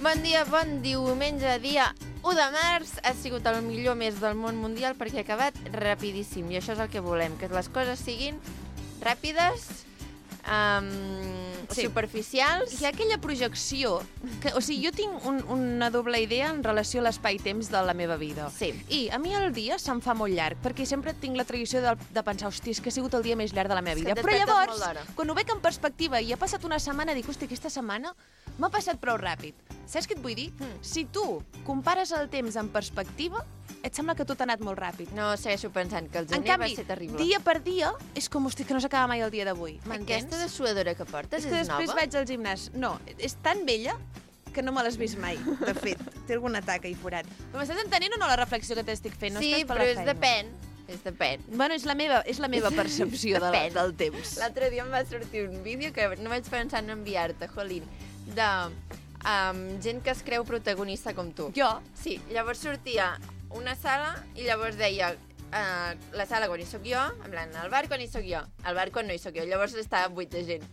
Bon dia, bon diumenge, dia 1 de març. Ha sigut el millor mes del món mundial perquè ha acabat rapidíssim. I això és el que volem, que les coses siguin ràpides, superficials. Hi ha aquella projecció que, o sigui, jo tinc una doble idea en relació a l'espai-temps de la meva vida. Sí. I a mi el dia se'm fa molt llarg, perquè sempre tinc la tradició de pensar, hòstia, és que ha sigut el dia més llarg de la meva vida. Però llavors, quan ho veig en perspectiva i ha passat una setmana, dic, hòstia, aquesta setmana m'ha passat prou ràpid. Saps què et vull dir? Si tu compares el temps en perspectiva, et sembla que tot ha anat molt ràpid. No, segueixo pensant que el En gener canvi, va ser terrible. dia per dia, és com, hosti, que no s'acaba mai el dia d'avui. Aquesta de suadora que portes És que després nova? vaig al gimnàs. No, és tan vella que no me l'has vist mai, de fet. Té algun atac ahí forat. Però m'estàs entenent o no la reflexió que t'estic fent? No Sí, estàs per però la és feina. depèn. És depèn. Bueno, és la meva percepció del temps. L'altre dia em va sortir un vídeo que no vaig pensar en enviar-te, Jolín, de gent que es creu protagonista com tu. Jo? Sí, llavors sortia una sala i llavors deia la sala quan hi soc jo, en plan, el bar quan hi soc jo, el bar quan no hi soc jo, llavors estava buit de gent.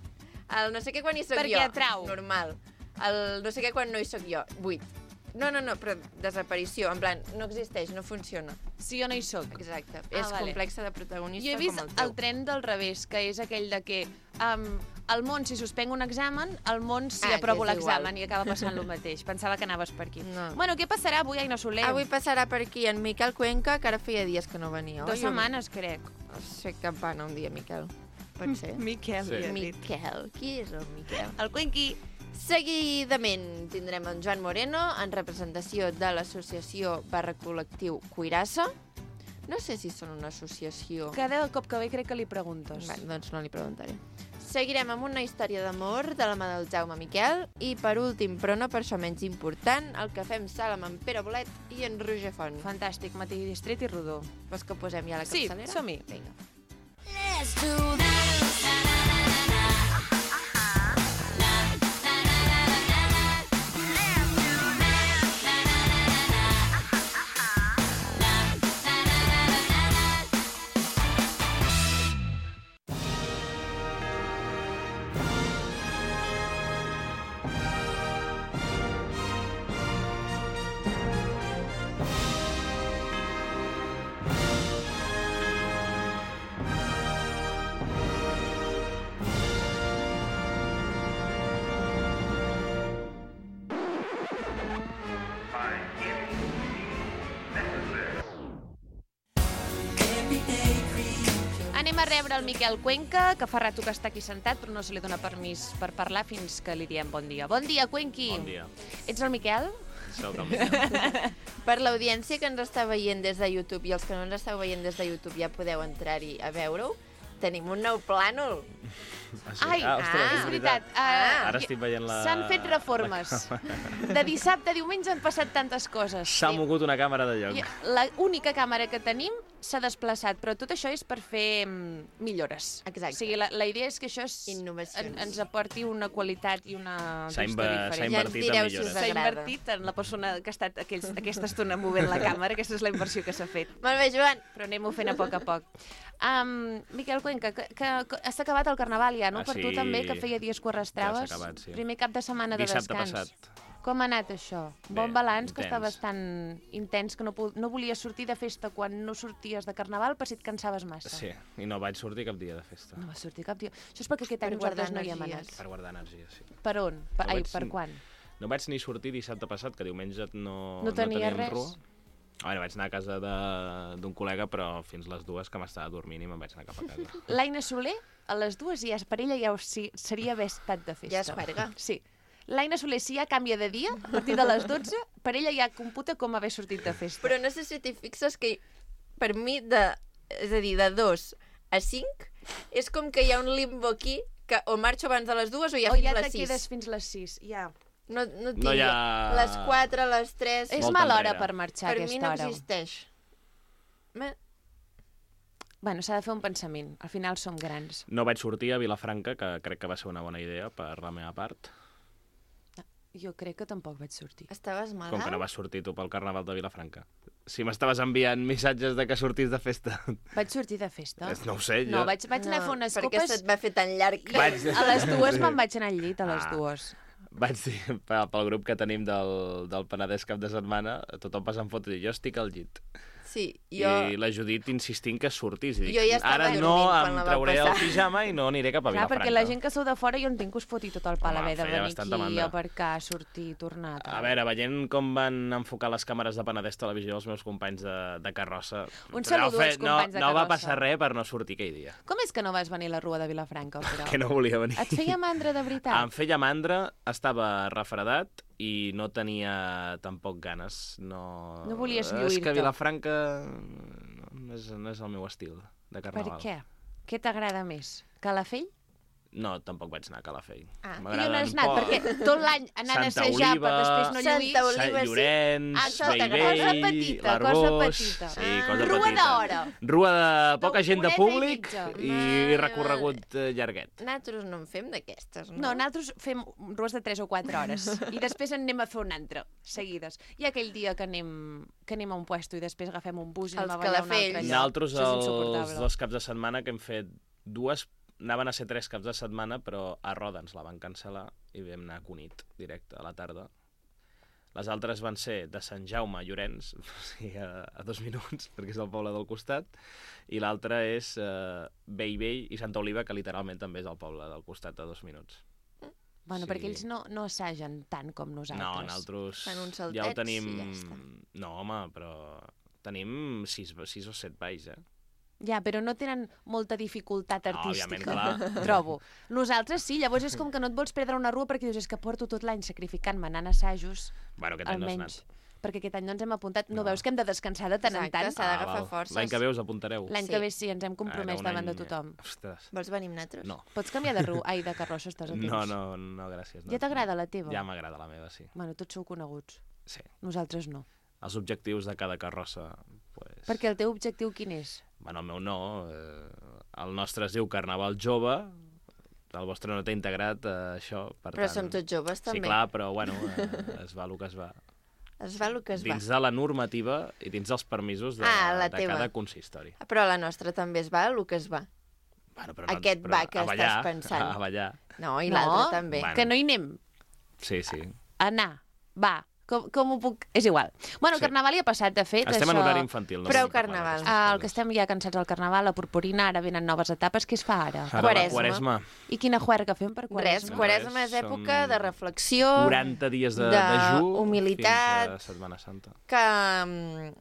El no sé què quan hi soc Perquè jo, atrau. normal. El no sé què quan no hi soc jo, buit. No, però desaparició, en plan, no existeix, no funciona. Si jo no hi soc. Exacte, és vale. complexa de protagonista Jo he vist com el teu. el tren del revés, que és aquell de que al món, si suspenc un examen, al món, si aprovo que és l'examen, igual. i acaba passant el mateix. Pensava que anaves per aquí. No. Bueno, què passarà avui, Aina Soler? Avui passarà per aquí en Miquel Cuenca, que ara feia dies que no venia. 2 setmanes, crec. Sé que va anar un dia, Miquel. Pot ser? Miquel, Sí. Miquel. Qui és el Miquel? El Cuenqui. Seguidament tindrem en Joan Moreno en representació de l'associació /col·lectiu Cuirassa. No sé si són una associació. Cada cop que ve crec que li preguntes. Bé, doncs no li preguntaré. Seguirem amb una història d'amor de la mà del Jaume Miquel i, per últim, però no per això menys important, el que fem sala amb en Pere Bolet i en Roger Font. Fantàstic, matí distret i rodó. Vols que posem ja la Sí, capçalera? som-hi. Vinga. Let's do this. Anem a rebre el Miquel Cuenca, que fa rato que està aquí sentat, però no se li dona permís per parlar fins que li diem bon dia. Bon dia, Cuenqui. Bon dia. Ets el Miquel? Soc el Miquel. Per l'audiència que ens està veient des de YouTube i els que no ens esteu veient des de YouTube ja podeu entrar-hi a veure-ho, tenim un nou plànol. Ai, és veritat. Ara estic veient la... S'han fet reformes. De dissabte a diumenge han passat tantes coses. S'ha mogut una càmera de lloc. L'única càmera que tenim s'ha desplaçat, però tot això és per fer millores. Exacte. O sigui, la idea és que això Innovacions. ens aporti una qualitat i una S'ha vista diferent. invertit Ja ens en direu si millores. us S'ha agrada. invertit en la persona que ha estat aquesta estona movent la càmera, aquesta és la inversió que s'ha fet. Molt bé, Joan. Però anem-ho fent a poc. Miquel Cuenca, que has acabat el Carnaval ja, no? Ah, Per tu sí. també, que feia dies que ho arrastraves. Ja s'ha acabat, sí. Primer cap de setmana de Dissabte descans. passat. Com ha anat això? Bé, Bon balanç, que intens. estaves tan intens que no volies sortir de festa quan no sorties de Carnaval per si et cansaves massa. Sí, i no vaig sortir cap dia de festa. No vas sortir cap dia. Això és perquè aquest any Per guardar nosaltres no hi hem energies. anat. Per guardar energia, sí. Per on? Per quan? No vaig ni sortir dissabte passat, que diumenge no No tenia teníem res? rua. Bueno, vaig anar a casa d'un col·lega, però fins les 2 que m'estava dormint i me'n vaig anar cap a casa. L'Aina Soler, a les 2 ja per ella ja seria haver estat de festa. Ja es juerga. Sí. L'Aina Soler, si ja canvia de dia, a partir de les 12, per ella ja computa com haver sortit de festa. Però no sé si t'hi fixes que per mi, és a dir, de 2 a 5, és com que hi ha un limbo aquí que o marxo abans de les 2 o ja O fins ja les te 6. quedes fins les 6, ja. No tinc No hi ha- les 4, les 3... És Molta mala hora enrere. per marxar Per a mi aquesta no hora. existeix. Bueno, s'ha de fer un pensament. Al final som grans. No vaig sortir a Vilafranca, que crec que va ser una bona idea per la meva part. Jo crec que tampoc vaig sortir. Estaves malalt? Com que no vas sortir tu pel Carnaval de Vilafranca. Si m'estaves enviant missatges de que sortís de festa... Vaig sortir de festa? No ho sé, jo... No, vaig anar a fer unes perquè copes... se't va fer tan llarg. Vaig- A les 2 me'n vaig anar al llit, a les Ah. 2. vaig dir pel grup que tenim del Penedès cap de setmana, tothom passant fotos i jo estic al llit. Sí, jo... I la Judit insistint que surtis. I dic, Jo ja estava ara no dormint quan em la vau trauré el passar. pijama i no aniré cap a Clar, Vilafranca. perquè la gent que sou de fora jo entenc que us foti tot el pal Home, haver de feia venir bastanta aquí, mandra. aparcar, sortir, tornar... A veure, veient com van enfocar les càmeres de Penedès Televisió els meus companys de carrossa... Un saludo als companys de No va carrossa. passar res per no sortir aquell dia. Com és que no vas venir a la Rua de Vilafranca, però? Que no volia venir. Et feia mandra de veritat? Em feia mandra, estava refredat i no tenia tampoc ganes. No volies És lluir-te. que Vilafranca no és el meu estil de Per carnaval. què? Què t'agrada més? Calafell? No, tampoc vaig anar a Calafell. Ah, I on has anat? Perquè tot l'any anant a Santa assajar per Oliva, després no lluir... Santa Oliva, Sant sí. Llorenç, Això Bellvei, cosa petita, l'Arbós... cosa petita. Sí, cosa Rua petita. d'hora. Rua de poca gent de Horeta i públic mitja. i recorregut llarguet. Nosaltres no en fem d'aquestes, no? No, nosaltres fem rues de 3 o 4 hores i després en anem a fer un altre, seguides. Hi ha aquell dia que anem a un puesto i després agafem un bus i Els anem a ballar a un altre Calafells. lloc. Nosaltres, Això és els insuportable. 2 caps de setmana que hem fet anaven a ser 3 caps de setmana, però a Roda ens la van cancel·lar i vam anar a Cunit, directe, a la tarda. Les altres van ser de Sant Jaume a Llorenç, o sigui, a 2 minuts, perquè és el poble del costat, i l'altra és Bellvei i Santa Oliva, que literalment també és el poble del costat, a 2 minuts. Bueno, Sí. perquè ells no assagen tant com nosaltres. No, nosaltres Fan uns ja ho saltets tenim... i ja està. No, home, però tenim 6 o 7 balls, Ja, però no tenen molta dificultat No, òbviament, artística, clar. trobo. Nosaltres sí, llavors és com que no et vols perdre una rua perquè dius, és que porto tot l'any sacrificant-me anant a assajos, Bueno, aquest any no has almenys. anat. Perquè aquest any no ens hem apuntat. No No. veus que hem de descansar de tant en Exacte, tant? s'ha d'agafar val. forces. L'any que ve us apuntareu. L'any Sí. que ve sí, ens hem compromès un davant de any- tothom. Ostres, Vols venir amb nosaltres? no. Pots canviar de rua? Ai, de carrossa estàs a temps. No, gràcies. No. Ja t'agrada la teva? Ja m'agrada la meva, sí. Bueno, tots sou coneguts. Sí. Nosaltres no. Els objectius de cada carrossa, pues... Perquè el teu objectiu quin és? Bueno, el meu no. El nostre es diu Carnaval Jove. El vostre no té integrat això, per Però tant... som tots joves, també. Sí, clar, però bueno, es va el que es va. Es va el que es va. Dins de la normativa i dins dels permisos de La de teva. cada consistori. Però la nostra també es va el que es va. Bueno, però Aquest va que a ballar, estàs pensant. A ballar. No, i No. l'altre també. Bueno. Que no hi anem. Sí, sí. Anar. Va. Com ho puc... És igual. Bueno, el Sí. carnaval ja ha passat, de fet. Estem això... en horari infantil. No Prou podem parlar carnaval. d'aquestes El coses. que estem ja cansats del carnaval, la purpurina, ara venen noves etapes. Què es fa ara? Ara Quaresma. la Quaresma. I quina juerga fem per Res, quaresma? Quaresma és Res, època són de reflexió, 40 dies de dejú humilitat, fins a Setmana Santa. que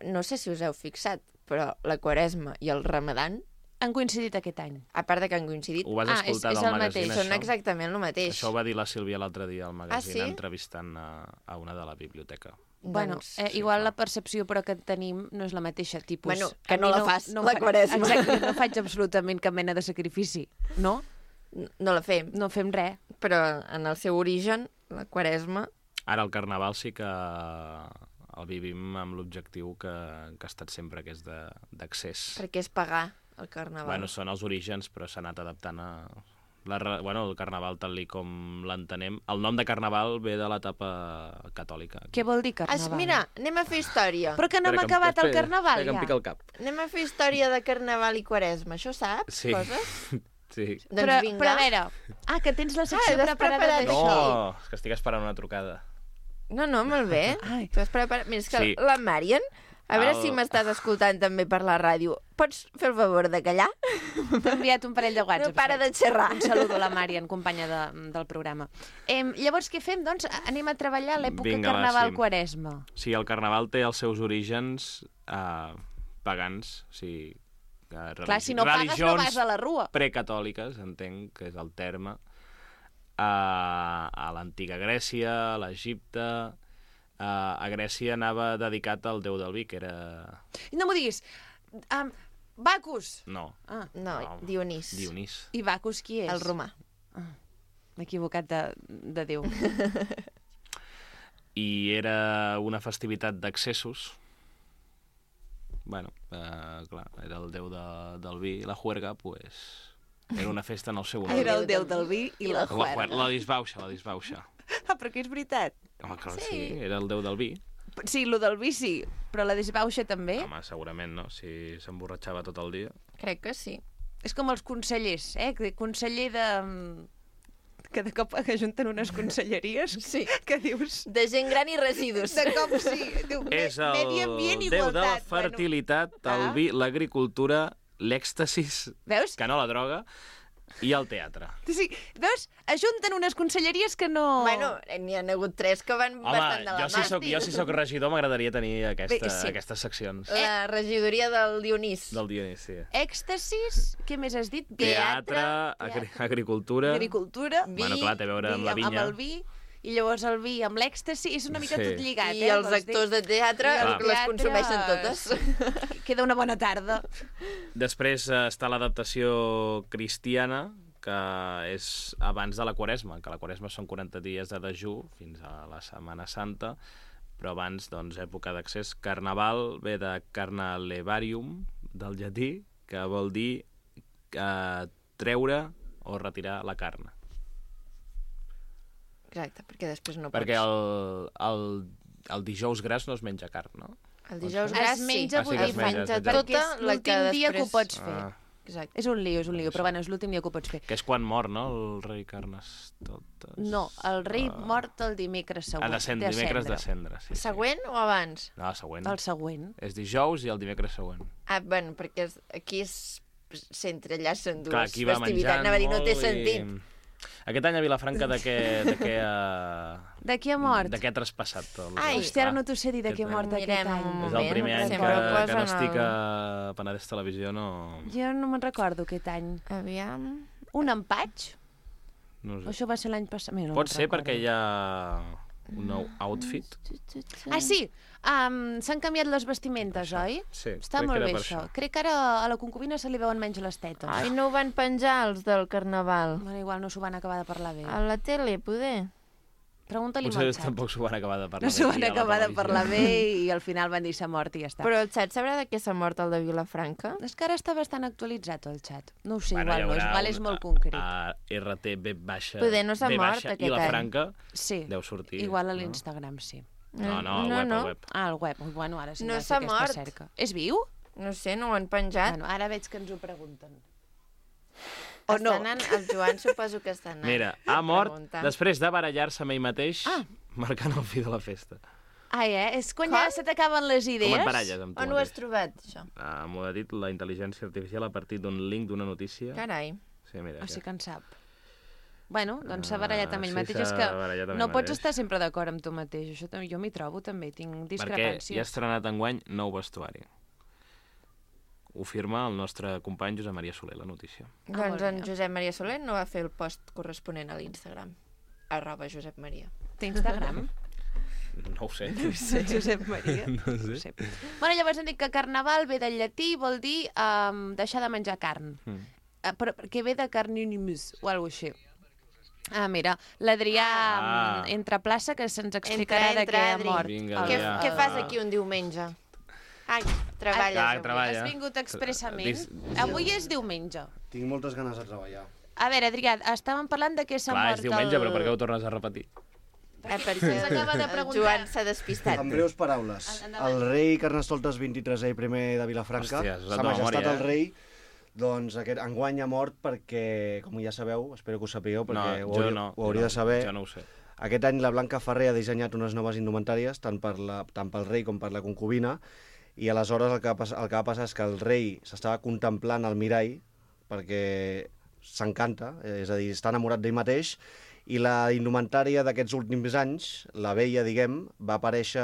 no sé si us heu fixat, però la Quaresma i el Ramadan, Han coincidit aquest any. a part de que han coincidit, Ho vas Ah, escoltar és del el magazín, mateix. són això? exactament el mateix. Això ho va dir la Sílvia l'altre dia al magazín, sí? entrevistant a una de la biblioteca. Bueno, Doncs, igual clar. la percepció però que tenim no és la mateixa tipus. Bueno, que A mi no la fas, la fa- Quaresma. Exacte, no faig absolutament cap mena de sacrifici, no? no la fem, No fem res. però en el seu origen, la Quaresma, Ara el Carnaval sí que el vivim amb l'objectiu que ha estat sempre, que és d'accés. perquè és pagar el Carnaval. Bueno, són els orígens, però s'ha anat adaptant a... el Carnaval tal com l'entenem. El nom de Carnaval ve de l'etapa catòlica. Què vol dir carnaval? Mira, anem a fer història. Però que no hem acabat el carnaval, que em ja. pica el cap. Anem a fer història de Carnaval i Quaresma. Això saps? Sí. Coses? Sí. Doncs vinga. Però a veure... Ah, que tens la secció l'has preparada preparat d'això. No, és que estic esperant una trucada. No, molt bé. Ai. Tu has preparat... Mira, és que Sí. la Marian, a veure El- si m'estàs escoltant també per la ràdio. Pots fer el favor de callar? T'he enviat un parell de No whatsapps. para de xerrar. Un saludo a la Marian, companya del programa. Llavors, què fem? Doncs anem a treballar l'època Vinga, va, carnaval-quaresma. Sí, el Carnaval té els seus orígens pagans, o sigui, Clar, si no pagues no vas a la rua. precatòliques, entenc que és el terme, a l'antiga Grècia, a l'Egipte. A Grècia anava dedicat al déu del vi, que era... No m'ho diguis. Bacus. No, Ah, No, Dionís. Dionís. i Bacus qui és? El romà. M'he equivocat de Déu. I era una festivitat d'accessos. Bueno, clar, era el déu del vi. La juerga, pues, era una festa en el seu honor. Era el Déu del vi i la juerga. La disbauxa. Ah, però que és veritat. Home, clar, sí, era el déu del vi. Sí, lo del vi sí, però la desbauxa també. Home, segurament, no? Si s'emborratxava tot el dia. Crec que sí. És com els consellers, que conseller de... que de cop ajunten unes conselleries que dius... De gent gran i residus. De cop sí. Diu, És el medi ambient, déu de la igualtat. fertilitat, el vi, l'agricultura, l'èxtasis, Veus? que no la droga, i el teatre. Sí, veus? Ajunten unes conselleries que no... Bueno, n'hi ha hagut 3 que van bastant de la mà. Jo si sóc regidor m'agradaria tenir Bé, sí. aquestes seccions. La regidoria del Dionís. Del Dionís, sí. Èxtasis, què més has dit? Teatre, agricultura... Agricultura, vi... Bueno, clar, té a veure amb la vinya. Amb el vi, i llavors el vi amb l'èxtasi, és una mica tot lligat, I els actors de teatre les consumeixen totes. Queda una bona tarda. Després està l'adaptació cristiana, que és abans de la Quaresma, que la Quaresma són 40 dies de dejú fins a la Setmana Santa, però abans, doncs, època d'accés. Carnaval ve de carnalevarium, del llatí, que vol dir treure o retirar la carn. Exacte, perquè després no pots. Perquè el dijous gras no es menja carn, no? El dijous gras es menja, sí vull que dir, es menja, menja, és veritat. perquè és l'últim dia que ho pots fer. Exacte. És un lío, però bueno, és l'últim dia que ho pots fer. Que és quan mor, no?, el rei Carnestoltes. No, el rei mort el dimecres següent. Dimecres de cendre, sí. Següent o abans? No, següent. El següent. És dijous i el dimecres següent. Ah, bueno, perquè aquí s'entrellacen dues Clar, aquí va festivitats. menjant Anava a dir, no té molt sentit. Aquest any a Vilafranca de què De qui ha mort? de què ha traspassat? Ai, hòstia, ara no t'ho sé dir de qui ha mort aquest Mirem any. un És el primer any Sempre que posen no estic el- a Penedès Televisió, no... Jo no me'n recordo aquest any. Aviam... Un empatx? No O sé. això va ser l'any passat? Mira, no Pot me'n ser recordo. perquè hi ha un nou outfit. Ah, sí! S'han canviat les vestimentes, oi? Sí, Està crec molt que era bé, per això. això. Crec que ara a la concubina se li veuen menys les tetes. Ai, no ho van penjar, els del Carnaval. Bueno, igual no s'ho van acabar de parlar bé. A la tele, poder. Pregunta-li Potser al xat. tampoc s'ho van acabar de parlar No s'ho bé van aquí a la acabar de televisió. parlar bé i al final van dir s'ha mort i ja està. Però el xat sabrà de què s'ha mort el de Vilafranca? És que ara està bastant actualitzat el xat. No ho sé, Bueno, igual, no, hi haurà igual és un- molt concret. A RT B baixa, Poder no s'ha B mort baixa aquest i la any. Franca Sí, deu sortir. igual a no? l'Instagram, sí. No, al web, al web. Ah, al web. Bueno, ara sí No que s'ha aquesta mort. cerca. És viu? No sé, no ho han penjat. Bueno, ara veig que ens ho pregunten. O no? Estan anant, el Joan suposo que està anant. Mira, ha mort preguntant. després de barallar-se amb ell mateix, Ah. marcant el fi de la festa. Ai, És quan Com? ja se t'acaben les idees. Com et baralles amb tu On ho has mateix? trobat, això? M'ho ha dit la intel·ligència artificial a partir d'un link d'una notícia. Carai. Sí, mira. O sigui que en sap. Bueno, doncs s'ha barallat amb ell sí, mateix. s'ha És que barallat amb no ell pots mateix. estar sempre d'acord amb tu mateix. Això també, jo m'hi trobo també, tinc Perquè discrepàncies. hi ha estrenat enguany nou vestuari. Ho firma el nostre company Josep Maria Soler, la notícia. Doncs molt en bé. Josep Maria Soler no va fer el post corresponent a l'Instagram. @ Maria. Té Instagram? No ho sé. Josep Maria. No sé. No sé. Bueno, llavors hem dit que carnaval ve del llatí, vol dir deixar de menjar carn. Però que ve de carninimus o alguna cosa així. Ah, mira, l'Adrià entra a plaça que se'ns explicarà Entra, de què ha Adri. mort. Vinga, Què, Adrià. què fas aquí un diumenge? Ai, treballes Ah, avui. treballa. Has vingut expressament? Dis- Avui és diumenge. Tinc moltes ganes de treballar. A veure, Adrià, estàvem parlant de què s'ha Clar, mort és diumenge, el... però per què ho tornes a repetir? Perquè Se'ns acaba de el preguntar. Joan s'ha despistat. En breus paraules, Endavant. el rei Carnestoltes 23è i primer de Vilafranca, Hòstia, has usat Sa de Majestat memòria, el rei, doncs enguany ha mort perquè, com ja sabeu, espero que ho sapigueu, perquè ho hauria de saber, Jo no ho sé. aquest any la Blanca Ferrer ha dissenyat unes noves indumentàries, tant pel rei com per la concubina, i aleshores el que va passar és que el rei s'estava contemplant al mirall perquè s'encanta, és a dir, està enamorat d'ell mateix, i la indumentària d'aquests últims anys, la vella, diguem, va aparèixer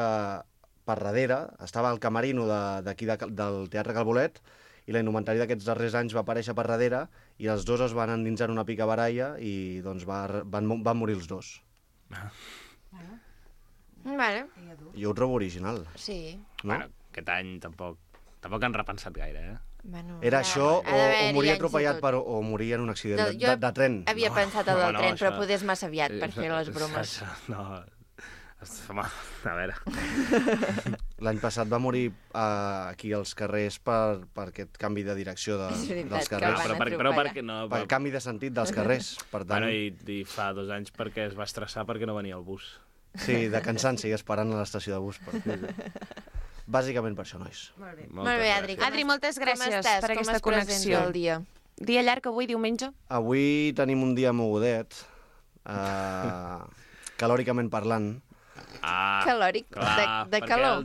per darrere, estava al camerino d'aquí del Teatre Calbolet, i la indumentària d'aquests darrers anys va aparèixer per darrere, i els dos es van endinsar en una pica baralla i doncs van morir els dos. Vale, Jo ho trobo original, sí. no? Bueno, aquest any tampoc han repensat gaire, eh? Bueno, Era això, ha d'haver-hi o moria anys i atropellat tot. o moria en un accident No, de tren. Havia pensat el del no, tren, però això- poder és massa aviat per fer les bromes. No, home, a veure. L'any passat va morir aquí als carrers per aquest canvi de direcció És veritat, dels que carrers. van però atropellar. perquè no... Per canvi de sentit dels carrers. Per tant, Bueno, i fa 2 anys perquè es va estressar perquè no venia el bus. sí, de cansanci esperant a l'estació de bus. Bàsicament per això, nois. Molt bé. Molt bé, Adri. com Adri, moltes com gràcies estàs? per Com aquesta es presenta connexió. el dia? Dia llarg avui, diumenge? Avui tenim un dia mogudet. calòricament parlant. Calòric, de calor.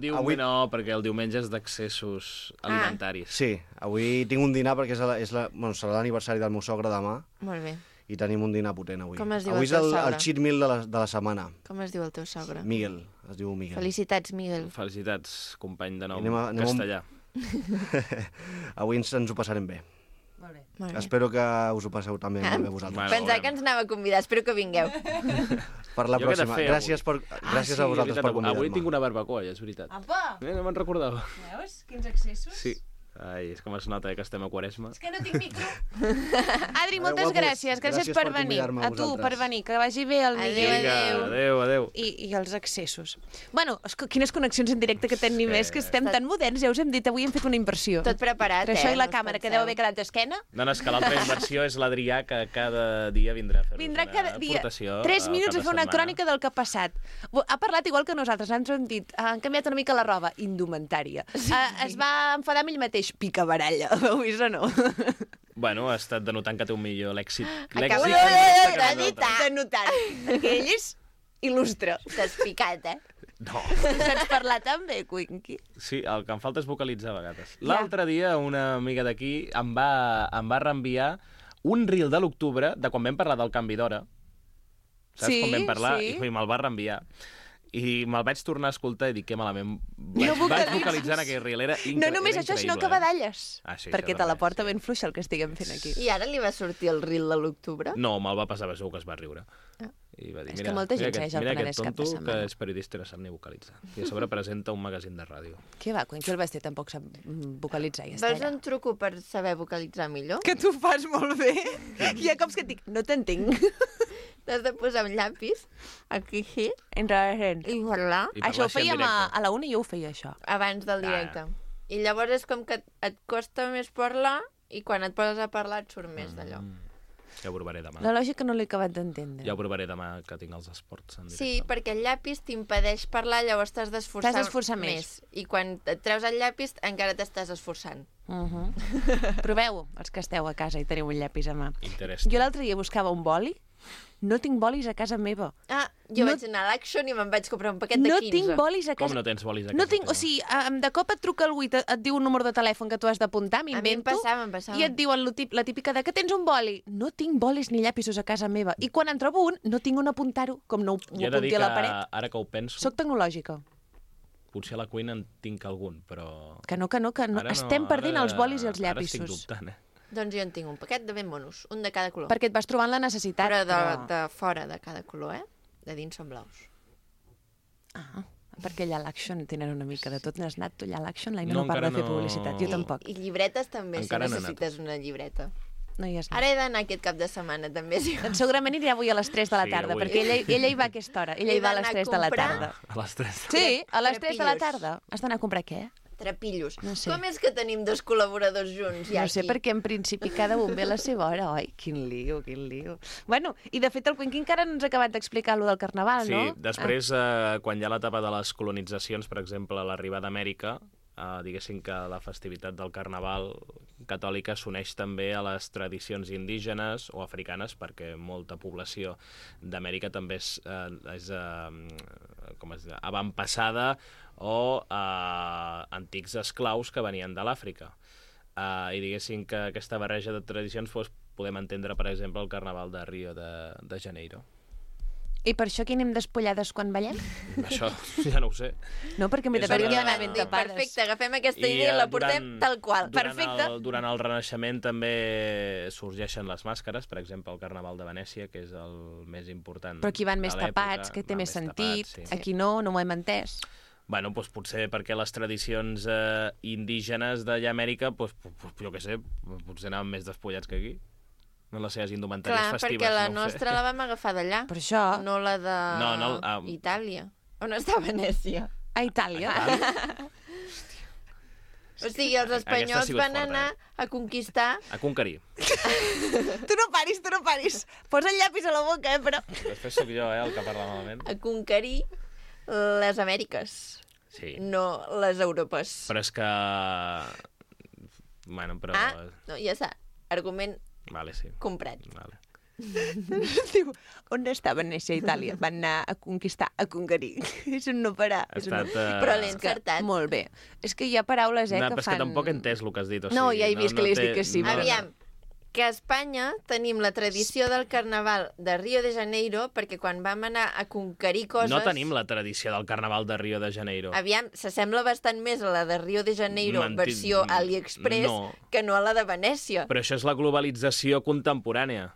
Perquè el diumenge és d'accessos alimentaris. Sí, avui tinc un dinar perquè serà l'aniversari del meu sogre demà. Molt bé. I tenim un dinar potent avui. Com es diu avui el teu és sogre? el cheat meal de la setmana. Com es diu el teu sogre? Miguel, es diu Miguel. Felicitats, Miguel. Felicitats, company de nom Anem castellà. Avui ens ho passarem bé. Molt bé. Molt bé. Espero que us ho passeu també molt bé vosaltres. Bueno, Pensava que ens anava a convidar, espero que vingueu. Per la Jo què he de pròxima. fer Gràcies a vosaltres per convidar-me. Avui tinc una barbacoa, és veritat. Apa! No me'n recordava. Veus? Quins accessos? Sí. Ai, és com es nota que estem a Quaresma. És que no tinc micro. Adri, moltes guapos, gràcies. Gràcies per venir. convidar-me A tu, vosaltres. per venir. Que vagi bé el Miguel. Adéu. I els accessos. Bueno, quines connexions en directe que tenim més, que estem tan moderns, ja us hem dit, avui hem fet una inversió. Tot preparat, Entre això i la No us càmera, que penseu. deu haver quedat d'esquena. No, és que l'altra inversió és l'Adrià, que cada dia vindrà a fer Vindrà cada dia aportació 3 minuts a fer una cap de crònica del que ha passat. Ha parlat igual que nosaltres, ens ho hem dit. Han canviat una mica la roba, indumentària. Es va enfadar amb ell mateix, picabaralla. Heu vist o no? Bueno, ha estat denotant que té un millor lèxic. Acabo Lèxic de notar. Perquè ell és il·lustre. T'has picat, No. Saps parlar tan bé, Quinqui? Sí, el que em falta és vocalitzar a vegades. L'altre dia una amiga d'aquí em va reenviar un reel de l'octubre de quan vam parlar del canvi d'hora. Saps Sí, quan vam parlar? sí. I me'l va reenviar. I me'l vaig tornar a escoltar i dic que malament. Vaig vocalitzes. vocalitzar en aquell reel. Era No només això, sinó que badalles. Ah, sí, perquè això te la també, porta sí. ben fluixa el que estiguem fent aquí. I ara li va sortir el reel de l'octubre? No, me'l va passar, segur que es va riure. I va dir, És que molta gent segueix el mira Penedès aquest cap de tonto setmana. que és periodista i no sap ni vocalitzar. I a sobre presenta un magazín de ràdio. Què va, Quinqui el Basté tampoc sap vocalitzar, ja Vols està. un truco per saber vocalitzar millor? Que tu fas molt bé. Hi ha cops que et dic, no t'entenc. T'has de posar un llapis aquí Enrarent. i parlar I Això ho parlar així en fèiem a directe. la una i jo ho feia, això. abans del directe. I llavors és com que et costa més parlar i quan et poses a parlar et surt més d'allò. Ja ho provaré demà. La lògica no l'he acabat d'entendre. Ja ho provaré demà que tinc els esports en directe. Sí, perquè el llapis t'impedeix parlar, llavors t'has d'esforçar T'has d'esforçar més. I quan et treus el llapis encara t'estàs esforçant. Proveu-ho, els que esteu a casa i teniu un llapis a mà. Interessant. Jo l'altre dia buscava un boli. No tinc bolis a casa meva. Ah, jo No- vaig anar a l'Action i me'n vaig comprar un paquet de No 15. tinc bolis a Com casa. no tens bolis a casa No tinc, teva? o sigui, de cop et truca algú i et diu un número de telèfon que tu has d'apuntar, A mi em m'invento, passava. i et diuen la típica de que tens un boli. No tinc bolis ni llapisos a casa meva. I quan en trobo un, no tinc on apuntar-ho, com no ho Jo he de dir apunti que a la paret. ara que ho penso, Soc tecnològica. potser a la cuina en tinc algun, però... Que no. Ara Estem perdent els bolis i els Ara estic llapisos. dubtant, Doncs jo en tinc un paquet de ben monos, un de cada color. Perquè et vas trobant la necessitat. Però de fora de cada color, De dins són blaus. Perquè allà a l'Action tenen una mica de tot. N'has anat tu allà a l'Action? L'Aina No, no parla de encara fer no. publicitat. Jo tampoc. I llibretes també, Encara si no he anat. necessites una llibreta. No hi has anat. Ara he d'anar aquest cap de setmana, també. Sí. Doncs segurament anirà avui a les 3 de la Sí, tarda, avui. perquè ella hi va a aquesta hora. Ella He hi va a les d'anar a 3 de la comprar. tarda. A les 3. Sí, a les 3 de la Trepillos. tarda. Has d'anar a comprar què? Trepillos. No sé. Com és que tenim dos col·laboradors junts ja No sé, aquí? perquè en principi cada un ve a la seva hora. Ai, quin lío, quin lío. Bueno, i de fet el Quinqui encara no ens ha acabat d'explicar allò del carnaval, Sí, no? després, quan hi ha l'etapa de les colonitzacions, per exemple, a l'arribada d'Amèrica, diguéssim que la festivitat del carnaval catòlica s'uneix també a les tradicions indígenes o africanes, perquè molta població d'Amèrica també és com es diu, avantpassada o antics esclaus que venien de l'Àfrica. I diguéssim que aquesta barreja de tradicions podem entendre, per exemple, el carnaval de Rio de Janeiro. I per això aquí anem despullades quan ballem? Això ja no ho sé. No, perquè m'he de És veure una- que anar ben tapades. Perfecte, agafem aquesta idea i la portem tal qual. Perfecte. Durant el Renaixement també sorgeixen les màscares, per exemple, el Carnaval de Venècia, que és el més important. Però aquí van més de l'època, tapats, que té van més sentit. tapats, sí. Aquí no m'ho hem entès. Bueno, doncs potser perquè les tradicions indígenes d'allà a Amèrica, doncs, jo què sé, potser anaven més despullats que aquí. No les seves indumentàries Clar, festives, perquè la no ho sé. nostra la vam agafar d'allà, Per això, no la de No, Itàlia. On està Venècia? a Itàlia. O sigui, els Aquesta ha espanyols sigut van forta, anar a conquistar... A conquerir. Tu no paris. Posa el llapis a la boca, però... Després sóc jo, el que parla malament. a conquerir les Amèriques, Sí. no les Europes. Però és que... Bueno, però... Ah, no, ja està. Argument Vale, sí. comprat. Vale. Diu, on estava néixer a Itàlia? Van anar a conquistar, a conquerir. És un no parar. Ha estat, Però l'he encertat. Molt bé. És que hi ha paraules, no, que però és fan... que tampoc he entès el que has dit. O sigui, No, ja he vist que li has dit que sí, però- Aviam, que a Espanya tenim la tradició del carnaval de Rio de Janeiro perquè quan vam anar a conquerir coses... No tenim la tradició del carnaval de Rio de Janeiro. Aviam, s'assembla bastant més a la de Rio de Janeiro versió AliExpress que no a la de Venècia. Però això és la globalització contemporània.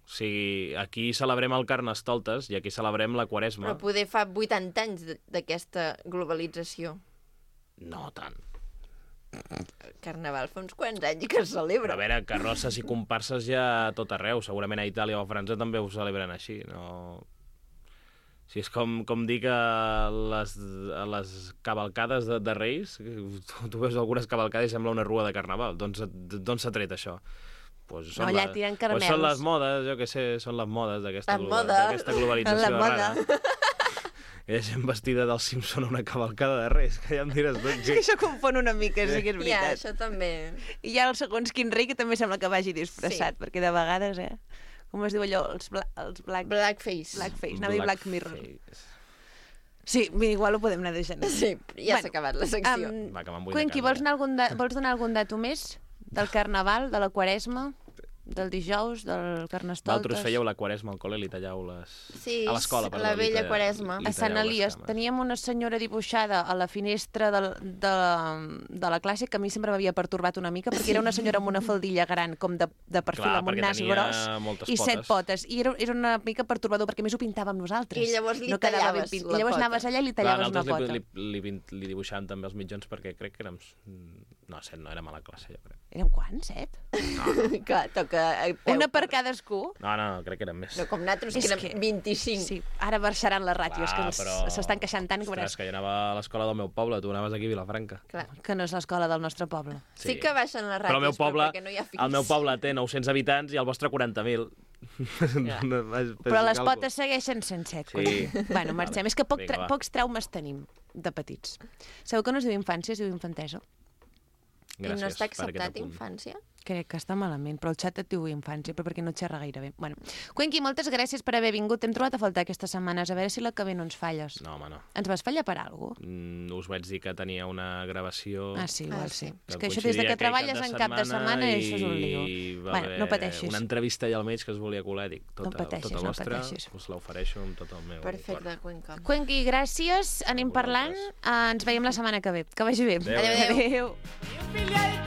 O sigui, aquí celebrem el Carnestoltes i aquí celebrem la Quaresma. Però poder fa 80 anys d'aquesta globalització. No tant. Carnaval fa uns quants anys que es Però celebra. a veure, carrosses i comparses ja a tot arreu. Segurament a Itàlia o a França també ho celebren així. No... O sigui, és com dir que a les cavalcades de Reis, tu veus algunes cavalcades i sembla una rua de carnaval. D'on s'ha tret això? Pues No, allà tiren caramels. Pues són les modes, jo què sé, són les modes d'aquesta Les modes. globalització La moda. rara. Hi ha gent vestida del Simpson a una cavalcada de Reis, que ja em diràs tu. És que això confon una mica, sí que és Ja, veritat. això també. I hi ha el segons quin rei que també sembla que vagi disfressat, perquè de vegades, com es diu allò, els black... Blackface. Blackface, anava a dir Black Mirror. Blackface. Sí, igual ho podem anar deixant. Sí, ja s'ha acabat la secció. Va, que me'n vull Cuenqui, de casa, vols donar algun dato més? Del Carnaval, de la Quaresma, del dijous, del Carnestoltes... Vosaltres fèieu la Quaresma al col·le i li talleu les... Sí, a l'escola, perdó. la li vella talleu- Quaresma. li A Sant talleu les Elies cames. teníem una senyora dibuixada a la finestra de la classe que a mi sempre m'havia pertorbat una mica perquè era una senyora amb una faldilla gran com de perfil Clar, amb un perquè nas tenia gros moltes i 7 potes. potes. I era una mica pertorbador perquè a més ho pintàvem nosaltres. I llavors li no quedava ben tallaves pint. la I llavors pota. anaves allà i li Clar, tallaves una nosaltres pota. li dibuixàvem també els mitjons perquè crec que érem... No, 7 no, érem a la classe, jo crec. Érem quants, 7? Clar, toca... a peu. Una per cadascú? No, crec que érem més. No, com nosaltres, que És érem que- 25. Sí, ara baixaran les ràtios, que però... s'estan queixant tant que Ostres, veuràs que jo anava a l'escola del meu poble, tu anaves aquí a Vilafranca. Clar. que no és l'escola del nostre poble. Sí que baixen les ràtios, Però el meu poble, perquè no hi ha fills. el meu poble té 900 habitants i el vostre 40.000. Ja. Però les potes segueixen sent 7. Sí. Bueno, marxem. És que Vinga, va. pocs traumes tenim de petits. Sabeu que no es diu infància, es diu infantesa? I no està per aquest acceptat apunt. infància? Crec que està malament, però el xat et diu infància, però perquè no xerra gaire bé. Bueno, Cuenqui, moltes gràcies per haver vingut. T'hem trobat a faltar aquestes setmanes, a veure si la que ve no ens falles. No, home, no. Ens vas fallar per alguna cosa? Us vaig dir que tenia una gravació... Ah, sí, igual sí. que És que això des de coincidia que aquell treballes en cap de setmana, i això és un lío. va Bueno, haver no pateixis. una entrevista allà al mig que es volia colar, dic, No pateixis, tota no vostra, pateixis. us l'ofereixo amb tot el meu Perfecte, Cuenca. Cuenqui, gràcies, anem parlant. Ens veiem la setmana que ve. Que vagi bé. Adéu. Adéu. Adéu.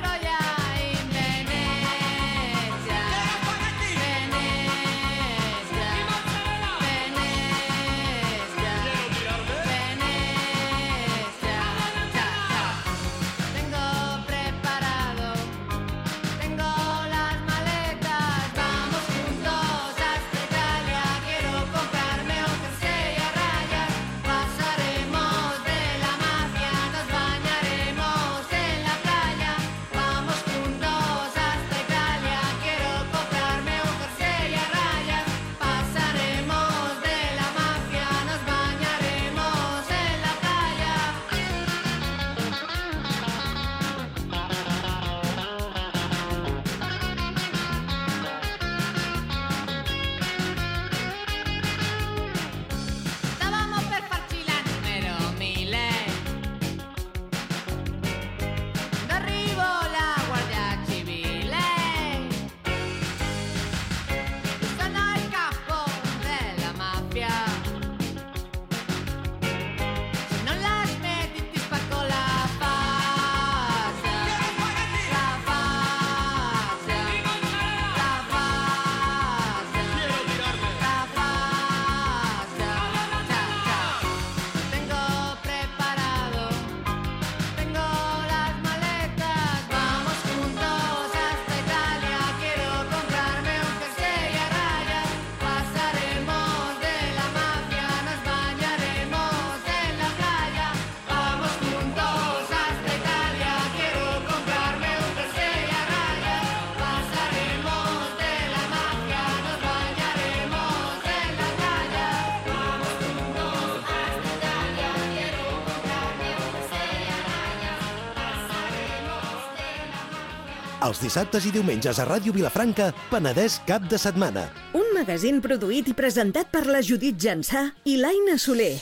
Pasaremos de la magia, nos bañaremos en la playa, vamos Els dissabtes i diumenges a Ràdio Vilafranca, Penedès cap de setmana. Un magazín produït i presentat per la Judit Jansà i l'Aina Soler.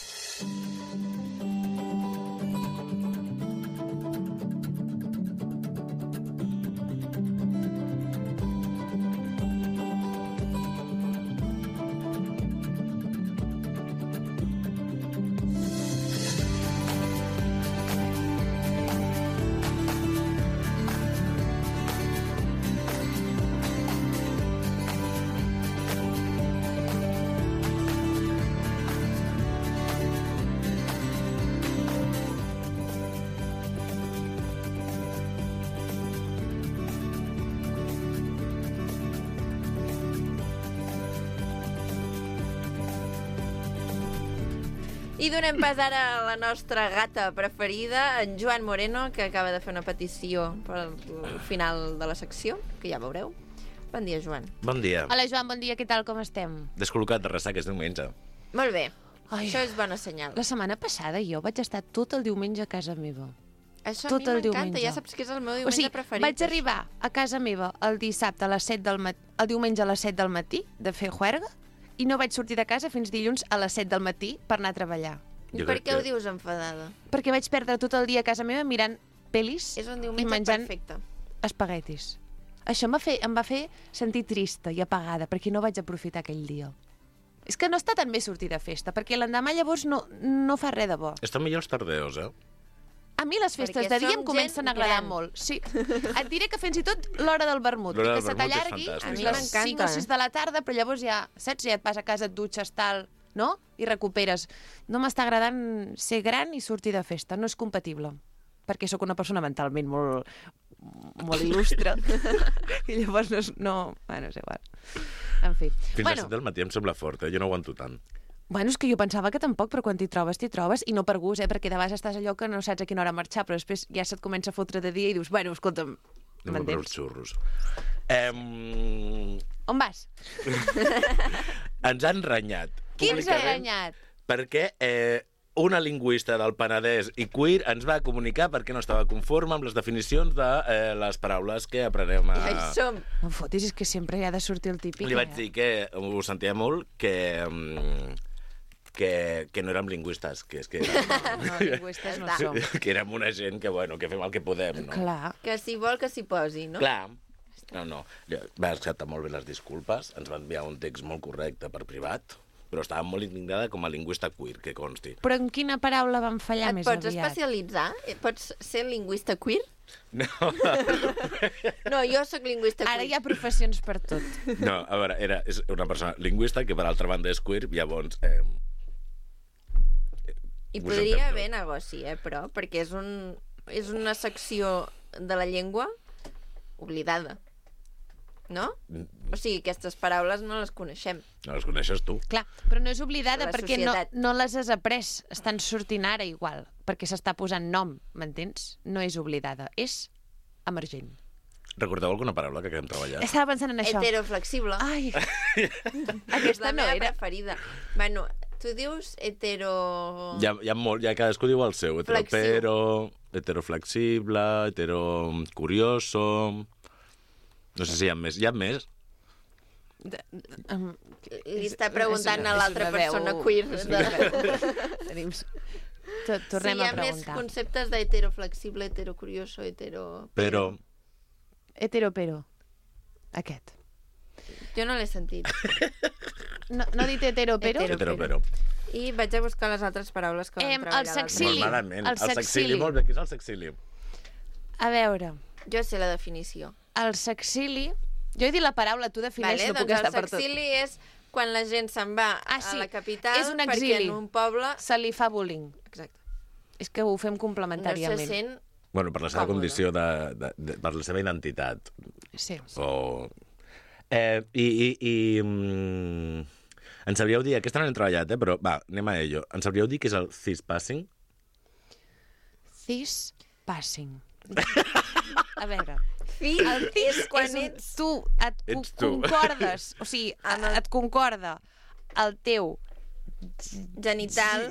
I donem pas ara a la nostra gata preferida, en Joan Moreno, que acaba de fer una petició per al final de la secció, que ja veureu. Bon dia, Joan. Bon dia. Hola, Joan, bon dia, què tal, com estem? Descol·locat de ressaca, és diumenge. Molt bé. Ai. Això és bona senyal. La setmana passada jo vaig estar tot el diumenge a casa meva. Això tot a mi el m'encanta, diumenge. ja saps que és el meu diumenge preferit. Vaig arribar a casa meva el dissabte a les 7 del matí, el diumenge a les 7 del matí de fer juerga, i no vaig sortir de casa fins dilluns a les 7 del matí per anar a treballar. I per què ho dius enfadada? Perquè vaig perdre tot el dia a casa meva mirant pel·lis És un i diumenge menjant perfecte. espaguetis. Això em va fer sentir trista i apagada, perquè no vaig aprofitar aquell dia. És que no està tan bé sortir de festa, perquè l'endemà llavors no fa res de bo. Estan millor els tardeos, eh? A mi les festes Perquè de dia som em comencen a gent agradar gran. molt. Sí. Et diré que fins i tot l'hora del vermut, L'hora que del se vermut és t'allargui fantàstic. A mi les m'encanta. 5 o 6 de la tarda, però llavors ja, saps, ja et vas a casa, et dutxes, tal, no? I recuperes. No m'està agradant ser gran i sortir de festa. No és compatible. Perquè sóc una persona mentalment molt il·lustre. I llavors Bueno, és igual. En fi. Fins a les 7 del matí em sembla fort, eh? Jo no aguanto tant. Bueno, és que jo pensava que tampoc, però quan t'hi trobes, i no per gust, perquè de vegades estàs allò que no saps a quina hora marxar, però després ja se't comença a fotre de dia i dius, bueno, escolta'm, Anem a veure els m'entens? xurros. On vas? Ens han renyat. Qui ens ha públicament, renyat? Perquè una lingüista del Penedès i queer ens va comunicar perquè no estava conforme amb les definicions de les paraules que aprenem Ja hi som. No em fotis, és que sempre hi ha de sortir el típic. Li vaig dir que ho sentia molt, que no érem lingüistes, que és que No, lingüistes no som. que érem una gent que, bueno, que fem el que podem, no? Clar. Que si vol que s'hi posi, no? Clar. No. Va acceptar molt bé les disculpes, ens va enviar un text molt correcte per privat, però estava molt indignada com a lingüista queer, que consti. Però en quina paraula van fallar Et més pots aviat? especialitzar? Pots ser lingüista queer? No, No, jo sóc lingüista queer. Ara hi ha professions per tot. no, a veure, és una persona lingüista que per altra banda és queer, llavors... I us podria entén haver negoci, però, perquè és una secció de la llengua oblidada. No? O sigui, aquestes paraules no les coneixem. No les coneixes tu. Clar, però no és oblidada La perquè societat. no les has après. Estan sortint ara igual, perquè s'està posant nom, m'entens? No és oblidada, és emergent. Recordeu alguna paraula que hem treballat? Estava pensant en això. Heteroflexible. Ai, És aquesta la no meva era. preferida. Bueno, tu dius hetero... Ja cadascú diu el seu. Flexiu. Heteroflexible, heterocurioso... No sé si hi ha més. Hi ha més? Li està preguntant a l'altra és una veu- persona queer. és una veu. Tenim... Tornem Sí, hi a ha més preguntar. conceptes d'heteroflexible, heterocurioso, hetero... Però... Heteropero. Aquest. Jo no l'he sentit. No he dit heteropero? Heteropero. I vaig a buscar les altres paraules que vam treballar. el sexili. Molt malament. El El sexili, sexili. molt bé. Què és el sexili? A veure, Jo sé la definició. el sexili... Jo he dit la paraula, tu defineix, no puc doncs estar el per tot. sexili és quan la gent se'n va Ah, sí, a la capital és un perquè exili. en un poble... Se li fa bullying. Exacte. És que ho fem No complementàriament. se sent... Bueno, per la seva Còmode. condició per la seva identitat. Sí. O... Ens sabríeu dir, aquesta no l'hem treballat, però va, anem a ello. Ens sabríeu dir què és el cis-passing? Cis passing. A veure, El cis quan ets... tu et Ets tu. concordes, o sigui, et concorda el teu genital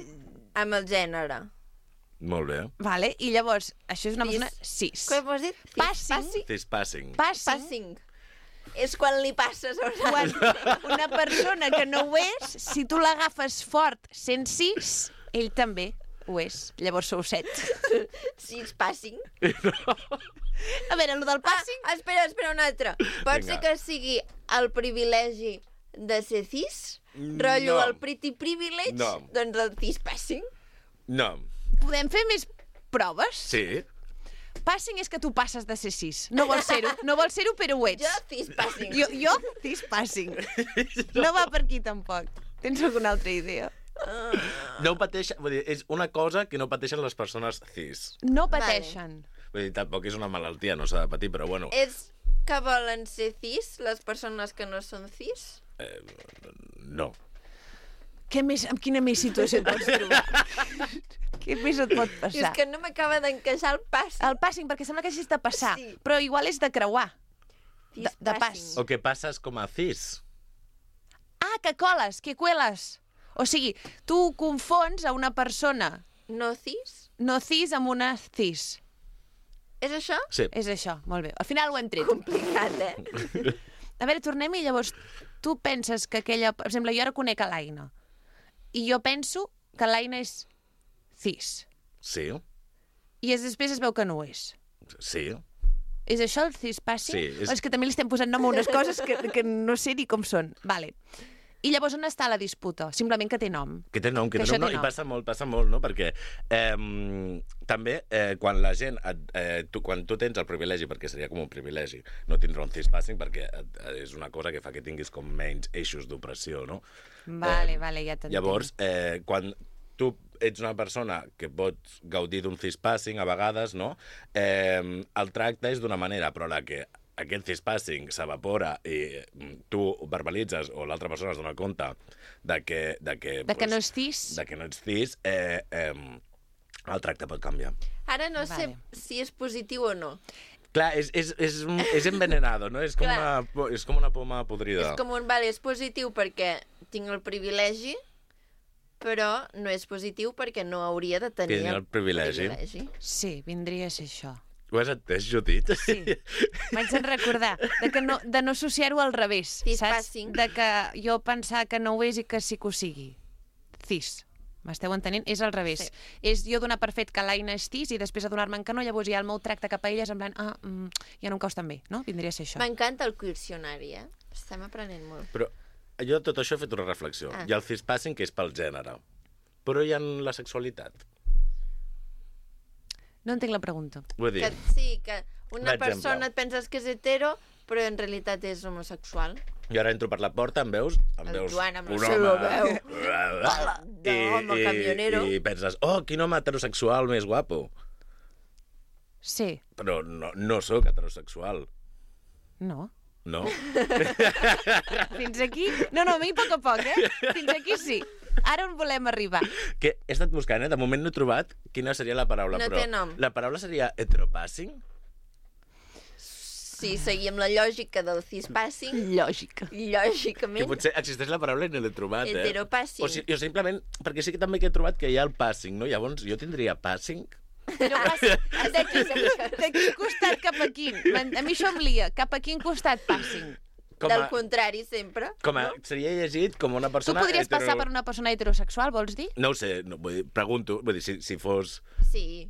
amb el gènere. Molt bé. Vale? I llavors, això és una persona cis. Com has dit? Cis-passing. Passing. És quan li passes a una Quan una persona que no ho és, si tu l'agafes fort sent cis, ell també ho és. Llavors sou 7. Cis-passing. A veure, el del passing... Espera, un altre. Pot ser Vinga. que sigui el privilegi de ser cis? Rotllo el pretty privilege? No. Doncs el cis-passing. No. Podem fer més proves? Sí. Passing és que tu passes de ser cis. No vols ser-ho, però ho ets. Jo cis-passing. Jo cis-passing. No va per aquí, tampoc. Tens alguna altra idea? No pateix... Vull dir, és una cosa que no pateixen les persones cis. No pateixen. Vull dir, tampoc és una malaltia, no s'ha de patir, però bueno. És que volen ser cis les persones que no són cis? No. Amb quina més situació et pots trobar? Què més et pot passar? És que no m'acaba d'encaixar el passing. El passing, perquè sembla que hagis de passar, Sí. però igual és de creuar. De pas. Cis-passing. O que passes com a cis. Ah, que coles, que cueles. O sigui, tu confons a una persona No cis? no cis amb una cis. És això? Sí. És això, molt bé. Al final ho hem tret. Complicat, eh? A veure, tornem-hi, llavors, tu penses que aquella... Per exemple, jo ara conec a l'Aina, i jo penso que l'Aina és cis, Sí. i després es veu que no ho és. Sí. És això el cis-passing? Sí, És que també li estem posant nom a unes coses que no sé ni com són. Vale. I llavors on està la disputa? Simplement que té nom. Que té nom, Que això no? té I nom. passa molt, no? Perquè també quan la gent... quan tu tens el privilegi, perquè seria com un privilegi, no tindre un cis-passing, perquè és una cosa que fa que tinguis com menys eixos d'opressió, no? Vale, ja t'entenc. Llavors, quan tu ets una persona que pots gaudir d'un cis-passing a vegades, no? El tracte és d'una manera, però la que aquest cis-passing s'evapora i tu ho verbalitzes o l'altra persona es dona compte de que no és cis? de que no ets cis, el tracte pot canviar. Ara no sé Vale. si és positiu o no. Clar, és envenenado, no? És com, és com una poma podrida. És com un... Vale, és positiu perquè tinc el privilegi, però no és positiu perquè no hauria de tenir Tenir el privilegi. Sí, vindria a ser això. Ho has entès, Judit? Sí. M'haig de recordar de no associar-ho al revés, saps? Cis-passing. De que jo pensar que no ho és i que sí que ho sigui. Cis. M'esteu entenent? És al revés. Sí. És jo donar per fet que l'Aina és cis i després adonar-me'n que no, llavors ja el meu tracte cap a ella és en plan, ja no em caus tan bé, no? Vindria a ser això. M'encanta el quircionari, eh? Estem aprenent molt. Però jo de tot això he fet una reflexió. Hi ha el cis-passing, que és pel gènere. Però hi ha la sexualitat. No entenc la pregunta. Vull dir, Que una D'exemple. persona et penses que és hetero, però en realitat és homosexual. jo ara entro per la porta, em veus El Joan amb la un seva home, veu. D'home camionero. I penses, oh, quin home heterosexual més guapo. Sí. Però no sóc heterosexual, No. no? Fins aquí? No, a mi a poc, eh? Fins aquí sí. Ara on volem arribar? Que he estat buscant, de moment no he trobat quina seria la paraula, No però té nom. la paraula seria heteropassing? Si seguim la lògica del cis-passing, Lògica. Que lògicament, potser existeix la paraula i no l'he trobat, eh? heteropassing. O sigui, jo simplement, perquè sí que també que he trobat que hi ha el passing, no? Llavors jo tindria passing? No passa. De quin costat cap a quin? A mi això em lia. Cap a quin costat passing? Del contrari, sempre. Seria llegit com una Tu persona... podries passar per una persona heterosexual, vols dir? No ho sé, vull dir, pregunto, vull dir, si fos... Sí.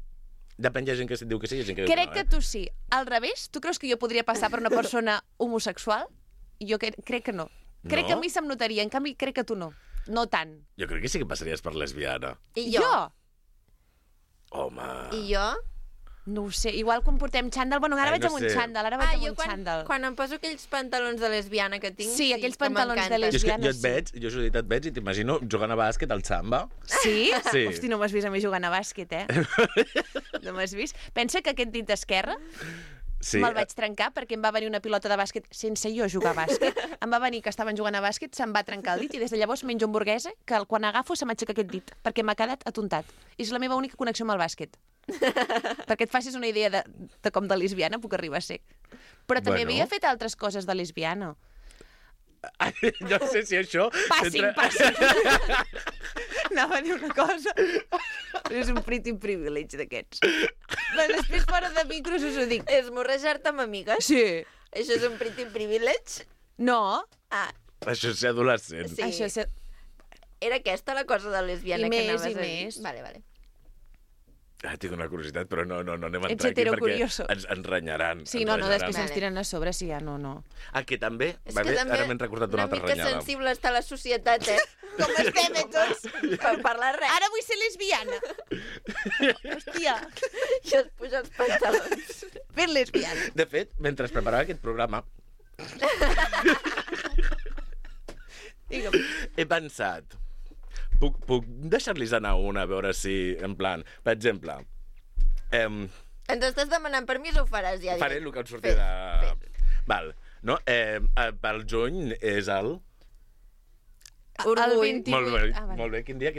Depèn, hi ha gent que diu que sí, hi ha gent que diu Crec que que no, tu sí. Al revés, tu creus que jo podria passar per una persona homosexual? Jo crec que no. Crec No? que a mi se'm notaria, en canvi crec que tu no. No tant. Jo crec que sí que passaries per lesbiana. I jo? Home... I jo? No ho sé. Igual quan portem xandall... Bueno, ara Ai, vaig no amb un sé. xandall, ara vaig amb jo un xandall. quan em poso aquells pantalons de lesbiana que tinc, Sí, aquells que pantalons de m'encanten. Jo és que lesbiana, jo et veig, jo Judit et veig i t'imagino jugant a bàsquet al samba. Sí? Sí. Hosti, no m'has vist a mi jugant a bàsquet, eh? No m'has vist? Pensa que aquest dit esquerre Sí. me'l vaig trencar perquè em va venir una pilota de bàsquet sense jo jugar a bàsquet. Em va venir que estaven jugant a bàsquet, se'm va trencar el dit i des de llavors menjo hamburguesa que quan agafo se m'aixeca aquest dit perquè m'ha quedat atontat. I és la meva única connexió amb el bàsquet. Perquè et facis una idea de com de lesbiana puc arribar a ser. Però també Bueno. havia fet altres coses de lesbiana. No sé si això... Passing, s'entra- passing. Anava a dir una cosa, però és un pretty privilege d'aquests. Però després, fora de micros, us ho dic. Esmorrejar-te amb amigues? Sí. Això és un pretty privilege? No. Ah, Això és ser adolescent. sí. Això és... Era aquesta la cosa de lesbiana I que més, anaves i a dir? més. Vale. Tinc una curiositat, però no anem a Ets entrar aquí heterocurioso. perquè ens renyaran. Sí, ens no, renyaran. després ens tiren a sobre, sí, ja no. Que també, És va que bé, també ara m'he recordat una altra Una mica renyada. sensible està la societat, Com estem, tots? Per parlar res. Ara vull ser lesbiana. Hòstia, I es puja els pantalons. ben lesbiana. De fet, mentre preparava aquest programa, Digue'm. he pensat, puc deixar-los anar una, a veure si, en plan, per exemple, Ens estàs demanant permís o ho faràs ja? faré el que em surti de... Val, no? Pel juny és el... Orgull. El 28. Molt bé, vale. molt bé. Quin dia?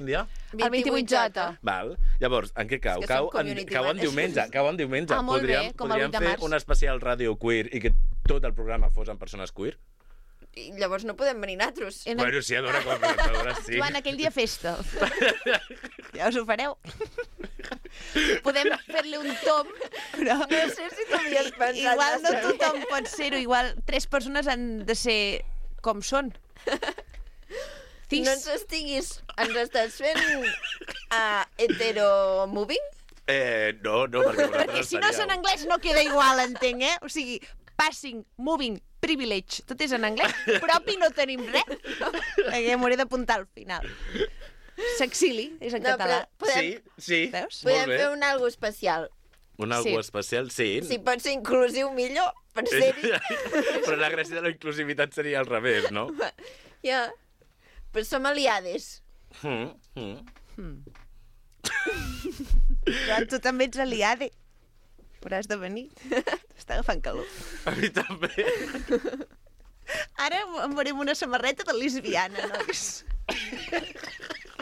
El 28J. Val. Llavors, en què cau? És que som Cau en community diumenge. Cau en diumenge. Ah, molt bé, com el 8 de fer març. un especial ràdio queer i que tot el programa fos amb persones queer? I llavors no podem venir nosaltres. Bueno, sí, adora com presentadora, sí. Joan, aquell dia festa. Ja us ho fareu. Podem fer-li un tom, però... No sé si t'ho havies pensat. Igual no massa bé. tothom pot ser-ho, igual 3 persones han de ser com són. No ens estiguis... Ens estàs fent hetero-moving? No, perquè Perquè si no és en anglès no queda igual, entenc, eh? O sigui, passing, moving, privilege, tot és en anglès, propi no tenim res. Perquè m'hauré d'apuntar al final. S'exili, és en català. Sí, Veus? molt Podem bé. fer un algo especial. Un algo Sí. especial, sí. Si pot ser inclusiu, millor, per ser-hi. Però la gràcia de la inclusivitat seria al revés, no? Ja. Però som aliades. Joan, tu també ets aliade. Però has de venir. Està agafant calor. A mi també. Ara em veurem una samarreta de lesbiana, nois.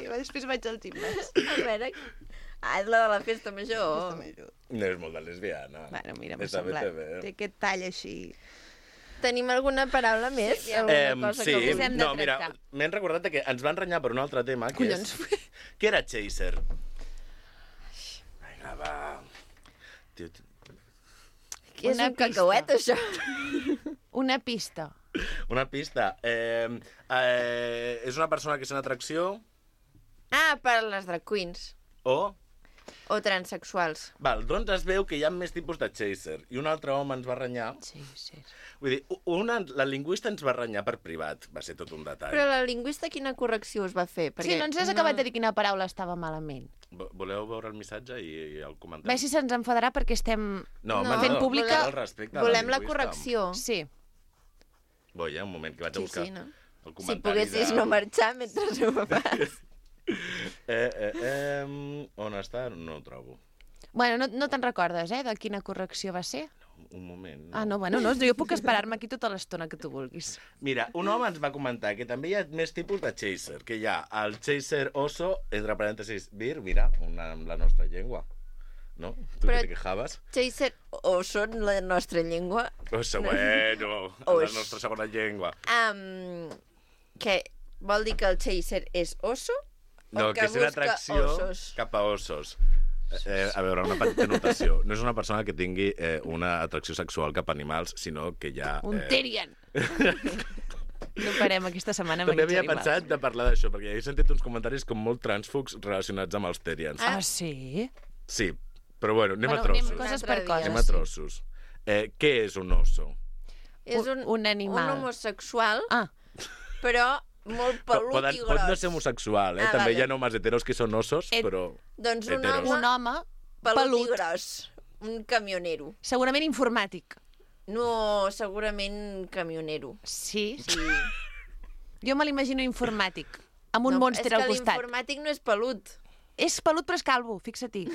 I després vaig al gimnàs. A veure... és la de la festa major. No és molt de lesbiana. Bueno, mira, m'ha Està bé, semblat. té bé. Té aquest tall així. Tenim alguna paraula més? Alguna cosa Sí, que us hem de no, mira, tractar. m'he recordat que ens van renyar per un altre tema, que Collons. és... Què era Chaser? Vinga, va. Tio, Què és Una un cacauet, això? Una pista. una pista. És una persona que és una atracció Ah, per les drag queens. o... O transsexuals. Val, doncs es veu que hi ha més tipus de chaser. I un altre home ens va renyar. Sí, sí. Vull dir, la lingüista ens va renyar per privat. Va ser tot un detall. Però la lingüista quina correcció us va fer? Sí, no ens has acabat de dir quina paraula estava malament. Voleu veure el missatge i el comentem? Bé, si se'ns enfadarà perquè estem... No, No, fent pública- el respecte a Volem la lingüista. correcció. Sí. Voy, un moment, que vaig a buscar Sí, no? el Si comentari poguessis no marxar mentre ho fas. On està? No ho trobo. Bueno, no te'n recordes, de quina correcció va ser? Un moment. Ah, no, bueno, no, jo puc esperar-me aquí tota l'estona que tu vulguis. Mira, un home ens va comentar que també hi ha més tipus de chaser, que hi ha el chaser oso, entre parèntesis, vir, mira, amb la nostra llengua. No? Tu Però- que te quejaves? Chaser o són la nostra llengua. Oso, bueno, Oix. la nostra segona llengua. Que vol dir que el chaser és oso? No, o que és una busca atracció ossos? cap a ossos. A veure, una petita notació. No és una persona que tingui una atracció sexual cap a animals, sinó que ja... Un Tyrion! No parem aquesta setmana amb També aquests havia animals. pensat de parlar d'això, perquè he sentit uns comentaris com molt trànsfugs relacionats amb els Terians. Ah, sí? Sí, però bueno, anem a Anem trossos. coses Un per altre dia. coses. Anem a trossos. Què és un oso? És Un animal. Un homosexual, Ah, però molt pelut i Pot no gros. ser homosexual, Ah, També vale. hi ha homes heteros que són osos, però... Doncs un heteros. home un home pelut i pelut, gros. Un camionero. segurament informàtic. No, segurament camionero. Sí? Sí. Jo me l'imagino informàtic, amb un No, mònster al És que costat. l'informàtic no és pelut. És pelut però és calvo, fixa-t'hi.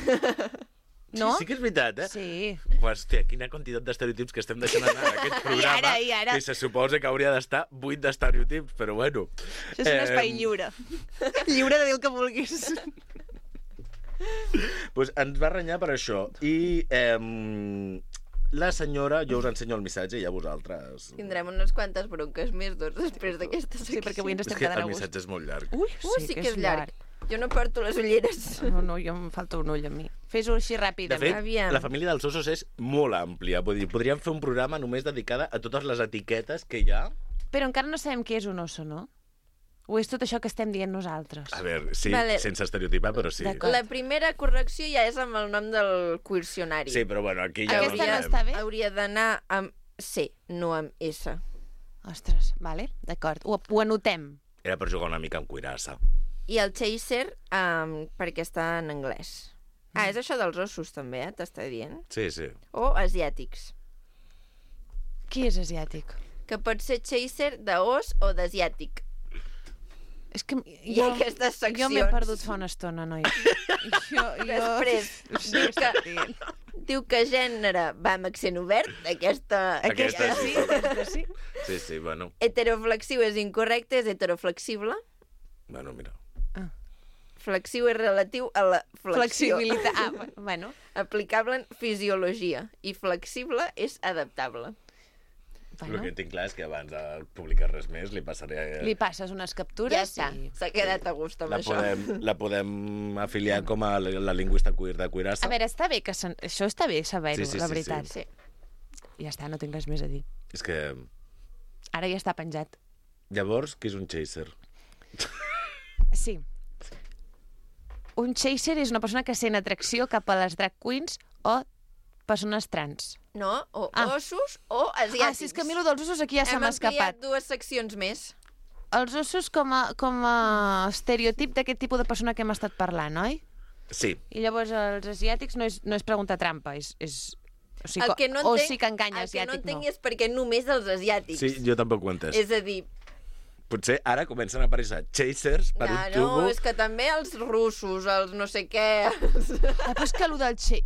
No? Sí que és veritat, Sí. Hòstia, quina quantitat d'estereotips que estem deixant anar en aquest programa. I ara. I se suposa que hauria d'estar buit d'estereotips, però bueno. Això és un espai lliure. Lliure de dir el que vulguis. Pues ens va renyar per això. I la senyora, jo us ensenyo el missatge i a vosaltres... Tindrem unes quantes bronques més, doncs, després d'aquesta secció. Sí, perquè avui ens És estem que quedant el a gust. missatge és molt llarg. Ui, sí que és llarg. Jo no porto les ulleres. No, jo em falta un ull a mi. Fes-ho així ràpid. De fet, Aviam. la família dels ossos és molt àmplia. Vull dir, podríem fer un programa només dedicada a totes les etiquetes que hi ha. Però encara no sabem què és un oso, no? O és tot això que estem dient nosaltres? A veure, sí, Vale. sense estereotipar, però sí. D'acord. La primera correcció ja és amb el nom del quircionari. Sí, però bueno, aquí ja... Aquesta no està bé? Hauria d'anar amb C, no amb S. Ostres, vale, d'acord. Ho anotem. Era per jugar una mica amb cuirassa. I el chaser, perquè està en anglès. És això dels ossos, també, t'està dient? Sí, sí. O asiàtics. Qui és asiàtic? Que pot ser chaser d'os o d'asiàtic. És que Hi ha aquestes seccions. Jo m'he perdut fa una estona, noi. Després, diu que gènere va amb accent obert, aquesta sí. sí. Sí, sí, bueno. Heteroflexiu és incorrecte, és heteroflexible. Bueno, mira. Flexiu és relatiu a la flexió. Flexibilitat. Bueno. Aplicable en fisiologia. I flexible és adaptable. El que tinc clar és que abans de publicar res més li passaré... Li passes unes captures Ja està, s'ha quedat a gust amb això. La podem afiliar com a la lingüista queer de Cuirassa. A veure, està bé que això està bé saber-ho, Sí, la veritat. Sí. Ja està, no tinc res més a dir. És que... Ara ja està penjat. Llavors, qui és un chaser? Sí. Un chaser és una persona que sent atracció cap a les drag queens o persones trans. No, o ossos o asiàtics. Sí, és que a mi el dels ossos aquí ja se m'ha escapat. Hem ampliat 2 seccions més. Els ossos com a estereotip d'aquest tipus de persona que hem estat parlant, oi? Sí. I llavors els asiàtics no és pregunta trampa, és o sigui, El que no o entenc, sí que enganya el que no asiàtic, entenc és perquè només els asiàtics. Sí, jo tampoc ho he entès. És a dir... Potser ara comencen a aparèixer chasers per un tubo... No, és que també els russos, els no sé què... Però és que allò del chaser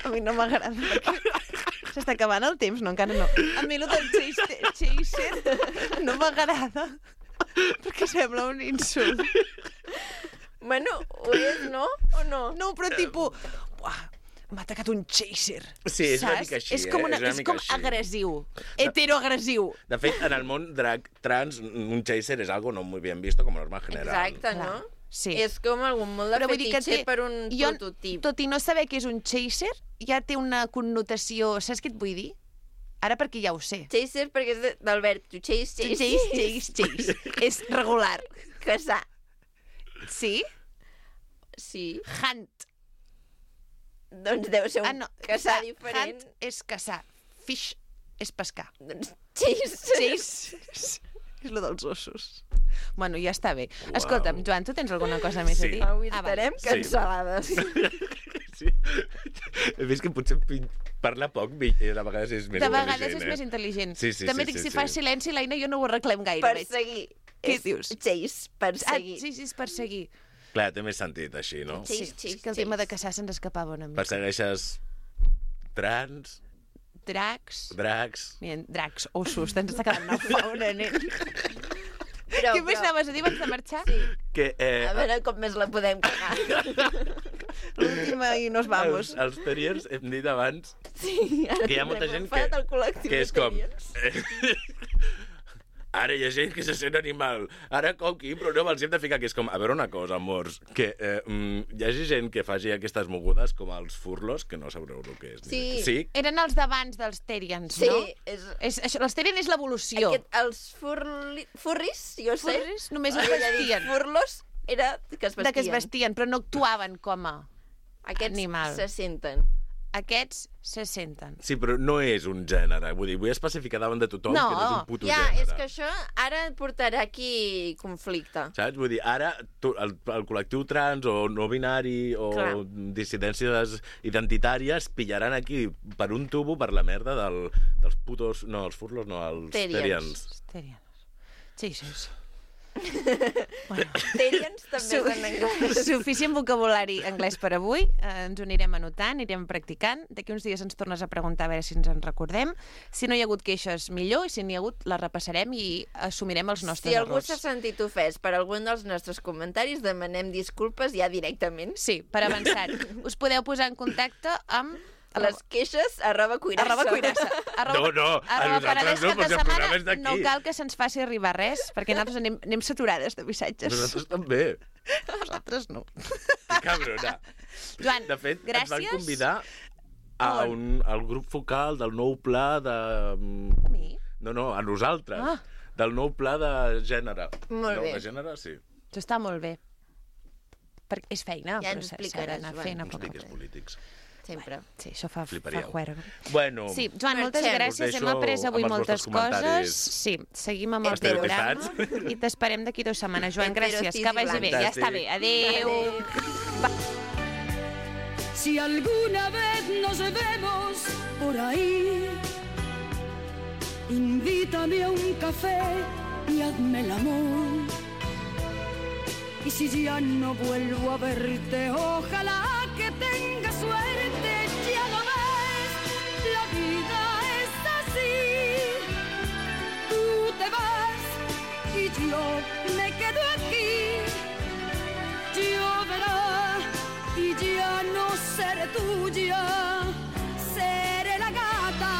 a mi no m'agrada perquè s'està acabant el temps, no? Encara no. A mi allò del chaser no m'agrada perquè sembla un insult. Bueno, ho és, no? O no? No, però tipus... M'ha atacat un chaser. Sí, és una saps? mica així, és com, és com agressiu. Heteroagressiu. De fet, en el món drag trans, un chaser és algo no muy bien visto como norma general. Exacte, no? Sí. És com algun molt de Però vull dir que fetitxe per un prototip. Tot i no saber què és un chaser, ja té una connotació... Saps què et vull dir? Ara perquè ja ho sé. Chaser perquè és del verb to chase, Chase. És regular. Caçar. Sí? Sí. Hunt. Doncs deu ser un caçar diferent. Hunt és caçar. Fish és pescar. Doncs chase. És lo dels ossos. Bueno, ja està bé. Escolta'm, Joan, tu tens alguna cosa més a dir? Avui estarem cancel·lades. Sí. He vist que potser parla poc i a vegades és més intel·ligent. De vegades és més intel·ligent. Sí, També dic, si fas silenci, l'Aina, jo no ho arreglem gaire. Perseguir. Què dius? Chase, perseguir. Sí, és perseguir. Clar, té més sentit així, no? Sí. És que el tema de caçar se'ns escapava una mica. Persegueixes trans... Dracs. Mira, dracs, ossos, t'ens està quedant una fauna, nen. Què més anaves a dir abans de marxar? Sí. Que, a veure com més la podem cagar. L'última i nos vamos. Els terriers, hem dit abans, Sí, ara que hi ha molta gent que és com... Ara hi ha gent que se sent animal. Ara coqui, però no els hem de ficar, que és com... A veure una cosa, amors, que hi hagi gent que faci aquestes mogudes com els furlos, que no sabreu el que és. Sí. Eren els d'abans dels Terians, Sí, no? és... Els Terian és l'evolució. Els furris, jo sé. Furris només es vestien. Furlos era que es vestien. De que es vestien, però no actuaven com a animal. Aquests se senten. Aquests se senten. Sí, però no és un gènere. Vull dir, vull especificar davant de tothom que no és un puto gènere. És que això ara portarà aquí conflicte. Saps? Vull dir, ara el col·lectiu trans o no binari o dissidències identitàries pillaran aquí per un tubo per la merda dels putos... No, els furlos no, els terians. Jesus. Bueno. Terians també és en anglès. Suficient vocabulari anglès per avui. Ens ho anirem anotant, anirem practicant. D'aquí uns dies ens tornes a preguntar a veure si ens en recordem. Si no hi ha hagut queixes, millor, i si n'hi ha hagut, les repassarem i assumirem els nostres errors. Si algú s'ha sentit ofès per algun dels nostres comentaris, demanem disculpes ja directament. Sí, per avançar. Us podeu posar en contacte amb Les queixes @cuirassa. No, a nosaltres no, perquè el programa és d'aquí. No cal que se'ns faci arribar res, perquè nosaltres anem saturades de missatges. Nosaltres també. Nosaltres no. Que cabrona. Joan, de fet, gràcies. ens van convidar al grup focal del nou pla de... A mi? No, a nosaltres. Ah. Del nou pla de gènere. Molt bé. De gènere, sí. Això està molt bé. Perquè és feina, ja però ens s'ha explicaràs, d'anar Joan. fent a Uns poc a piques poc. polítics. Sempre. Sí, això fa Fliparíeu. juerga. Bueno, Sí, Joan, moltes Marxem. gràcies. Us Hem deixo après avui amb els moltes vostres comentaris. coses. Sí, seguim amb el estereotipats. programa i t'esperem d'aquí 2 setmanes. Joan, gràcies. Heterocis Que vagi i bé. blancs. Ja està bé. Adéu. Si alguna vez nos vemos por ahí, invítame a un café y hazme el amor. Y si ya no vuelvo a verte, ojalá que tenga suerte. Ya lo ves, la vida es así. Tú te vas y yo me quedo aquí. Lloverá y ya no seré tuya. Seré la gata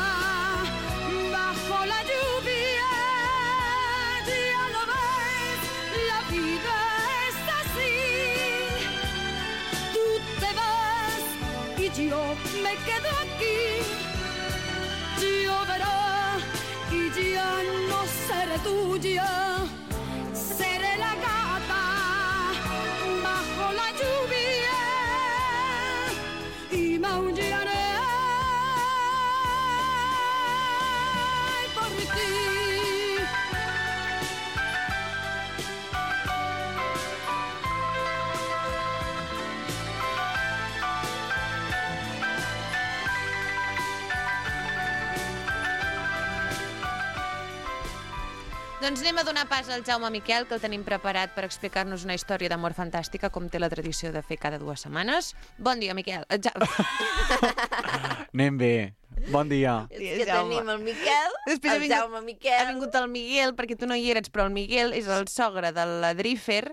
bajo la lluvia. Ya lo ves, la vida es así. Tú te vas y yo me quedo aquí. Lloverá y ya no seré tuya. Seré la gata bajo la lluvia y maullaré por ti. Doncs anem a donar pas al Jaume Miquel, que el tenim preparat per explicar-nos una història d'amor fantàstica, com té la tradició de fer cada 2 setmanes. Bon dia, Miquel. Anem bé. Bon dia. És que tenim el Miquel, el Jaume Miquel. Ha vingut el Miguel, perquè tu no hi eres, però el Miguel és el sogre de la Drífer,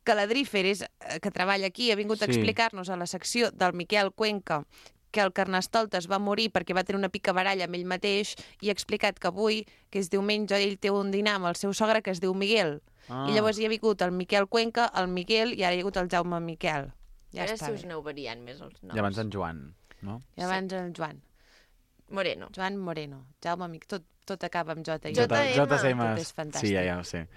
que la Drífer és, que treballa aquí, ha vingut a explicar-nos a la secció del Miquel Cuenca que el Carnestoltes va morir perquè va tenir una picabaralla amb ell mateix i ha explicat que avui, que és diumenge, ell té un dinar amb el seu sogre que es diu Miguel. I llavors hi ha vingut el Miquel Cuenca, el Miguel, i ara hi ha hagut el Jaume Miquel. Ja ara està si us bé. aneu variant més els noms. I abans en Joan, no? I abans el Joan. Moreno. Joan Moreno. Jaume Miquel. Tot acaba amb J. JM. Tot és fantàstic. Sí, ja ho sé.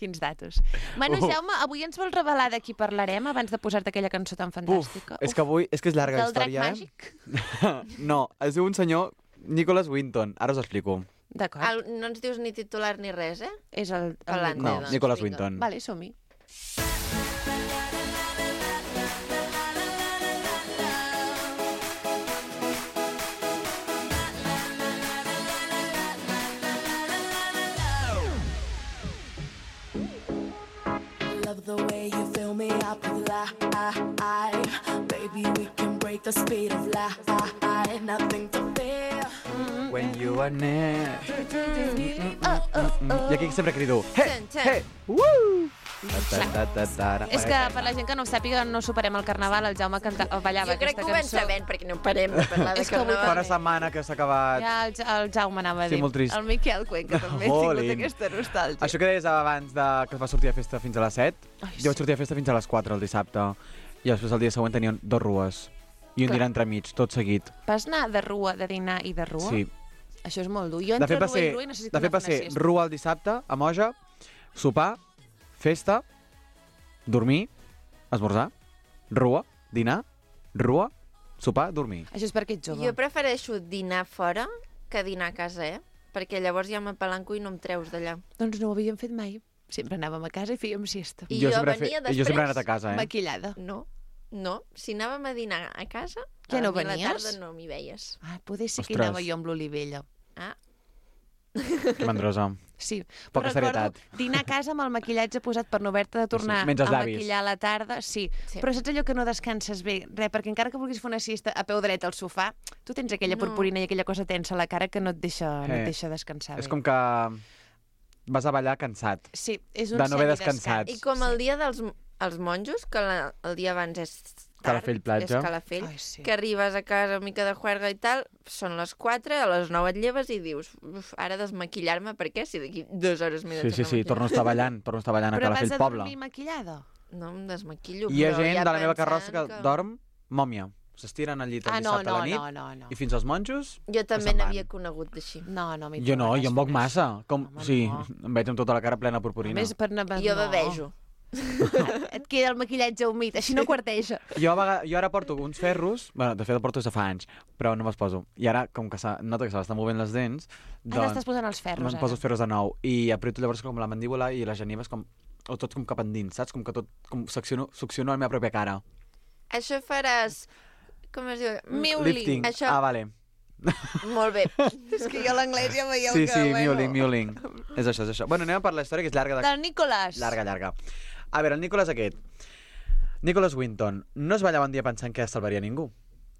Quins datos. Bueno, Jaume, avui ens vols revelar de qui parlarem abans de posar-te aquella cançó tan fantàstica? És que avui... És que és llarga la Del drac història, màgic? No, es diu un senyor Nicholas Winton. Ara us explico. D'acord. No ens dius ni titular ni res, eh? És el Parlant No, doncs, Nicholas vinga. Winton. Vale, som-hi. Love the way you fill me up with life. Baby, we can break the speed of light. Nothing to fear. When you are near. I aquí sempre crido. Hey, hey, woo! És que per la gent que no ho sàpiga, no superem el carnaval, el Jaume ballava Jo crec aquesta que ho vam cançó. sabent, perquè no parem de parlar de És que avui carnaval. Fa una setmana que s'ha acabat. Ja el Jaume anava a Sí, dir. molt trist. El Miquel Cuenca també ha tingut Jolín. aquesta nostàlgia. Això que deies abans que es va sortir a festa fins a les 7, jo vaig sortir a festa fins a les 4 el dissabte. I després el dia següent tenien 2 rues. I un Clar. dinar entremig, tot seguit. Vas anar de rua, de dinar i de rua? Sí. Això és molt dur. Jo De entre fet, va rua i ser, rua i necessito de fet, anar va a fer una ser siesta. rua el dissabte, a Moja, sopar, festa, dormir, esmorzar, rua, dinar, rua, sopar, dormir. Això és perquè ets jove. Jo prefereixo dinar fora que dinar a casa, eh? Perquè llavors ja m'apalanco i no em treus d'allà. Doncs no ho havíem fet mai. Sempre anàvem a casa i fèiem siesta. I jo venia després... Jo sempre he anat a casa, eh? Maquillada. No, si anàvem a dinar a casa, Ja no a mi a la venies? tarda no m'hi veies. Ah, poder ser que Ostres. anava jo amb l'Olivella. Ah. Que mandrosa. Sí, Poca però recordo serietat. dinar a casa amb el maquillatge posat per no haver-te de tornar menys els a llavis. maquillar a la tarda. Sí. Però saps allò que no descanses bé? Perquè encara que vulguis fer una siesta a peu dret al sofà, tu tens aquella purpurina i aquella cosa tensa a la cara que no et deixa, no et deixa descansar És bé. com que vas a ballar cansat. Sí, és un de no haver semidescans. descansat. I com el dia dels els monjos, que el dia abans és Calafell platja. És Calafell, sí. que arribes a casa una mica de juerga i tal, són les 4, a les 9 et lleves i dius, ara desmaquillar-me, per què? Si d'aquí 2 hores m'he de tornar a Sí, torno a estar ballant a Calafell Però Poble. vas a dormir maquillada? No em desmaquillo, Hi ha però gent ja de la meva pensant carrossa que dorm mòmia. S'estiren al llit el dissabte a la nit i fins als monjos Jo també n'havia conegut d'així. No, m'hi jo no, jo em moc massa. Sí, em veig amb tota la cara plena de purpurina. Més per anar... Jo bevejo. Et queda el maquillatge humit, així no quarteja. Jo ara porto uns ferros, bueno, de fet el porto des de fa anys, però no me'ls poso. I ara, com que noto que se m'estan movent les dents... Ara estàs posant els ferros, ara. Em poso els ferros de nou. I aprieto llavors com la mandíbula i les genives com... O tot com cap endins, saps? Com que tot... Com succiono la meva pròpia cara. Això faràs... Com es diu? Mewling. Lifting. Això... Vale. Molt bé. És que jo l'anglès ja veieu que... Sí, mewling. És això. Bueno, anem a per la història, que és llarga. Del Nicholas. Llarga. A veure, el Nicholas aquest. Nicholas Winton no es va llevar un dia pensant que salvaria ningú.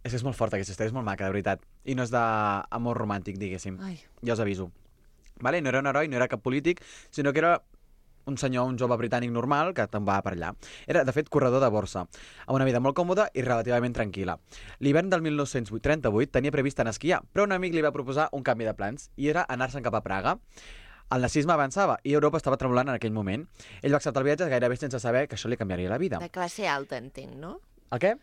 És que és molt forta aquesta història, és molt maca, de veritat. I no és d'amor romàntic, diguéssim. Ja us aviso. Vale? No era un heroi, no era cap polític, sinó que era un senyor, un jove britànic normal que te'n va per allà. Era, de fet, corredor de borsa, amb una vida molt còmoda i relativament tranquil·la. L'hivern del 1938 tenia previst anar a esquiar, però un amic li va proposar un canvi de plans, i era anar-se'n cap a Praga. El nazisme avançava i Europa estava tremolant en aquell moment. Ell va acceptar el viatge gairebé sense saber que això li canviaria la vida. De classe alta, entenc, no? El què?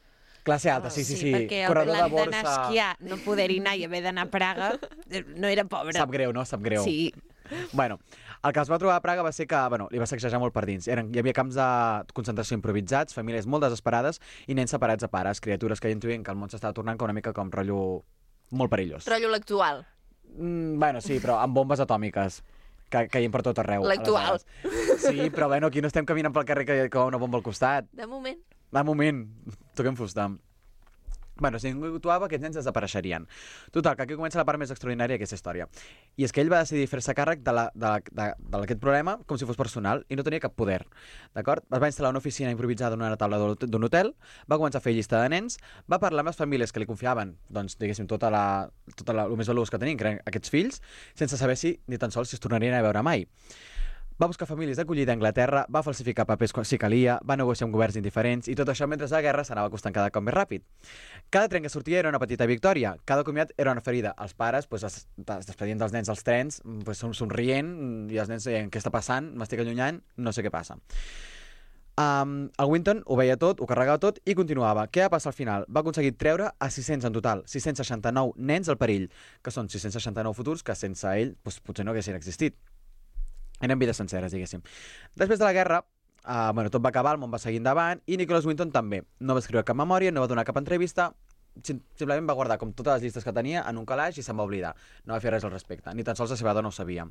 Classe alta, sí. Perquè corredor de borsa... d'anar a esquiar, no poder-hi anar i haver d'anar a Praga, no era pobre. Sap greu, no? Sap greu. Sí. Bueno, el que es va trobar a Praga va ser que li va sacsejar molt per dins. Hi havia camps de concentració improvisats, famílies molt desesperades i nens separats de pares, criatures que ja intuïen que el món s'estava tornant una mica com rotllo molt perillós. Rotllo l'actual. Bueno, sí, però amb bombes atòmiques que caien per tot arreu. L'actual. Sí, però bueno, aquí no estem caminant pel carrer que hi ha una bomba al costat. De moment. Toquem fusta. Bueno, si ningú actuava, aquests nens desapareixerien. Total, que aquí comença la part més extraordinària d'aquesta història. I és que ell va decidir fer-se càrrec d'aquest problema com si fos personal i no tenia cap poder. D'acord? Es va instal·lar una oficina improvisada en una taula d'un hotel, va començar a fer llista de nens, va parlar amb les famílies que li confiaven, doncs, diguéssim, tot el més valuós que tenien, que eren aquests fills, sense saber si ni tan sols si es tornarien a veure mai. Va buscar famílies d'acollida a Anglaterra, va falsificar papers si calia, va negociar amb governs indiferents i tot això mentre la guerra s'anava acostant cada cop més ràpid. Cada tren que sortia era una petita victòria, cada comiat era una ferida. Els pares es despedien dels nens als trens, somrient, i els nens deien què està passant, m'estic allunyant, no sé què passa. El Winton ho veia tot, ho carregava tot i continuava. Què va passar al final? Va aconseguir treure a 600 en total, 669 nens al perill, que són 669 futurs que sense ell potser no haguessin existit. Eren vides senceres, diguéssim. Després de la guerra, tot va acabar, el món va seguir endavant, i Nicholas Winton també. No va escriure cap memòria, no va donar cap entrevista, simplement va guardar com totes les llistes que tenia en un calaix i se'n va oblidar. No va fer res al respecte, ni tan sols la seva dona ho sabia.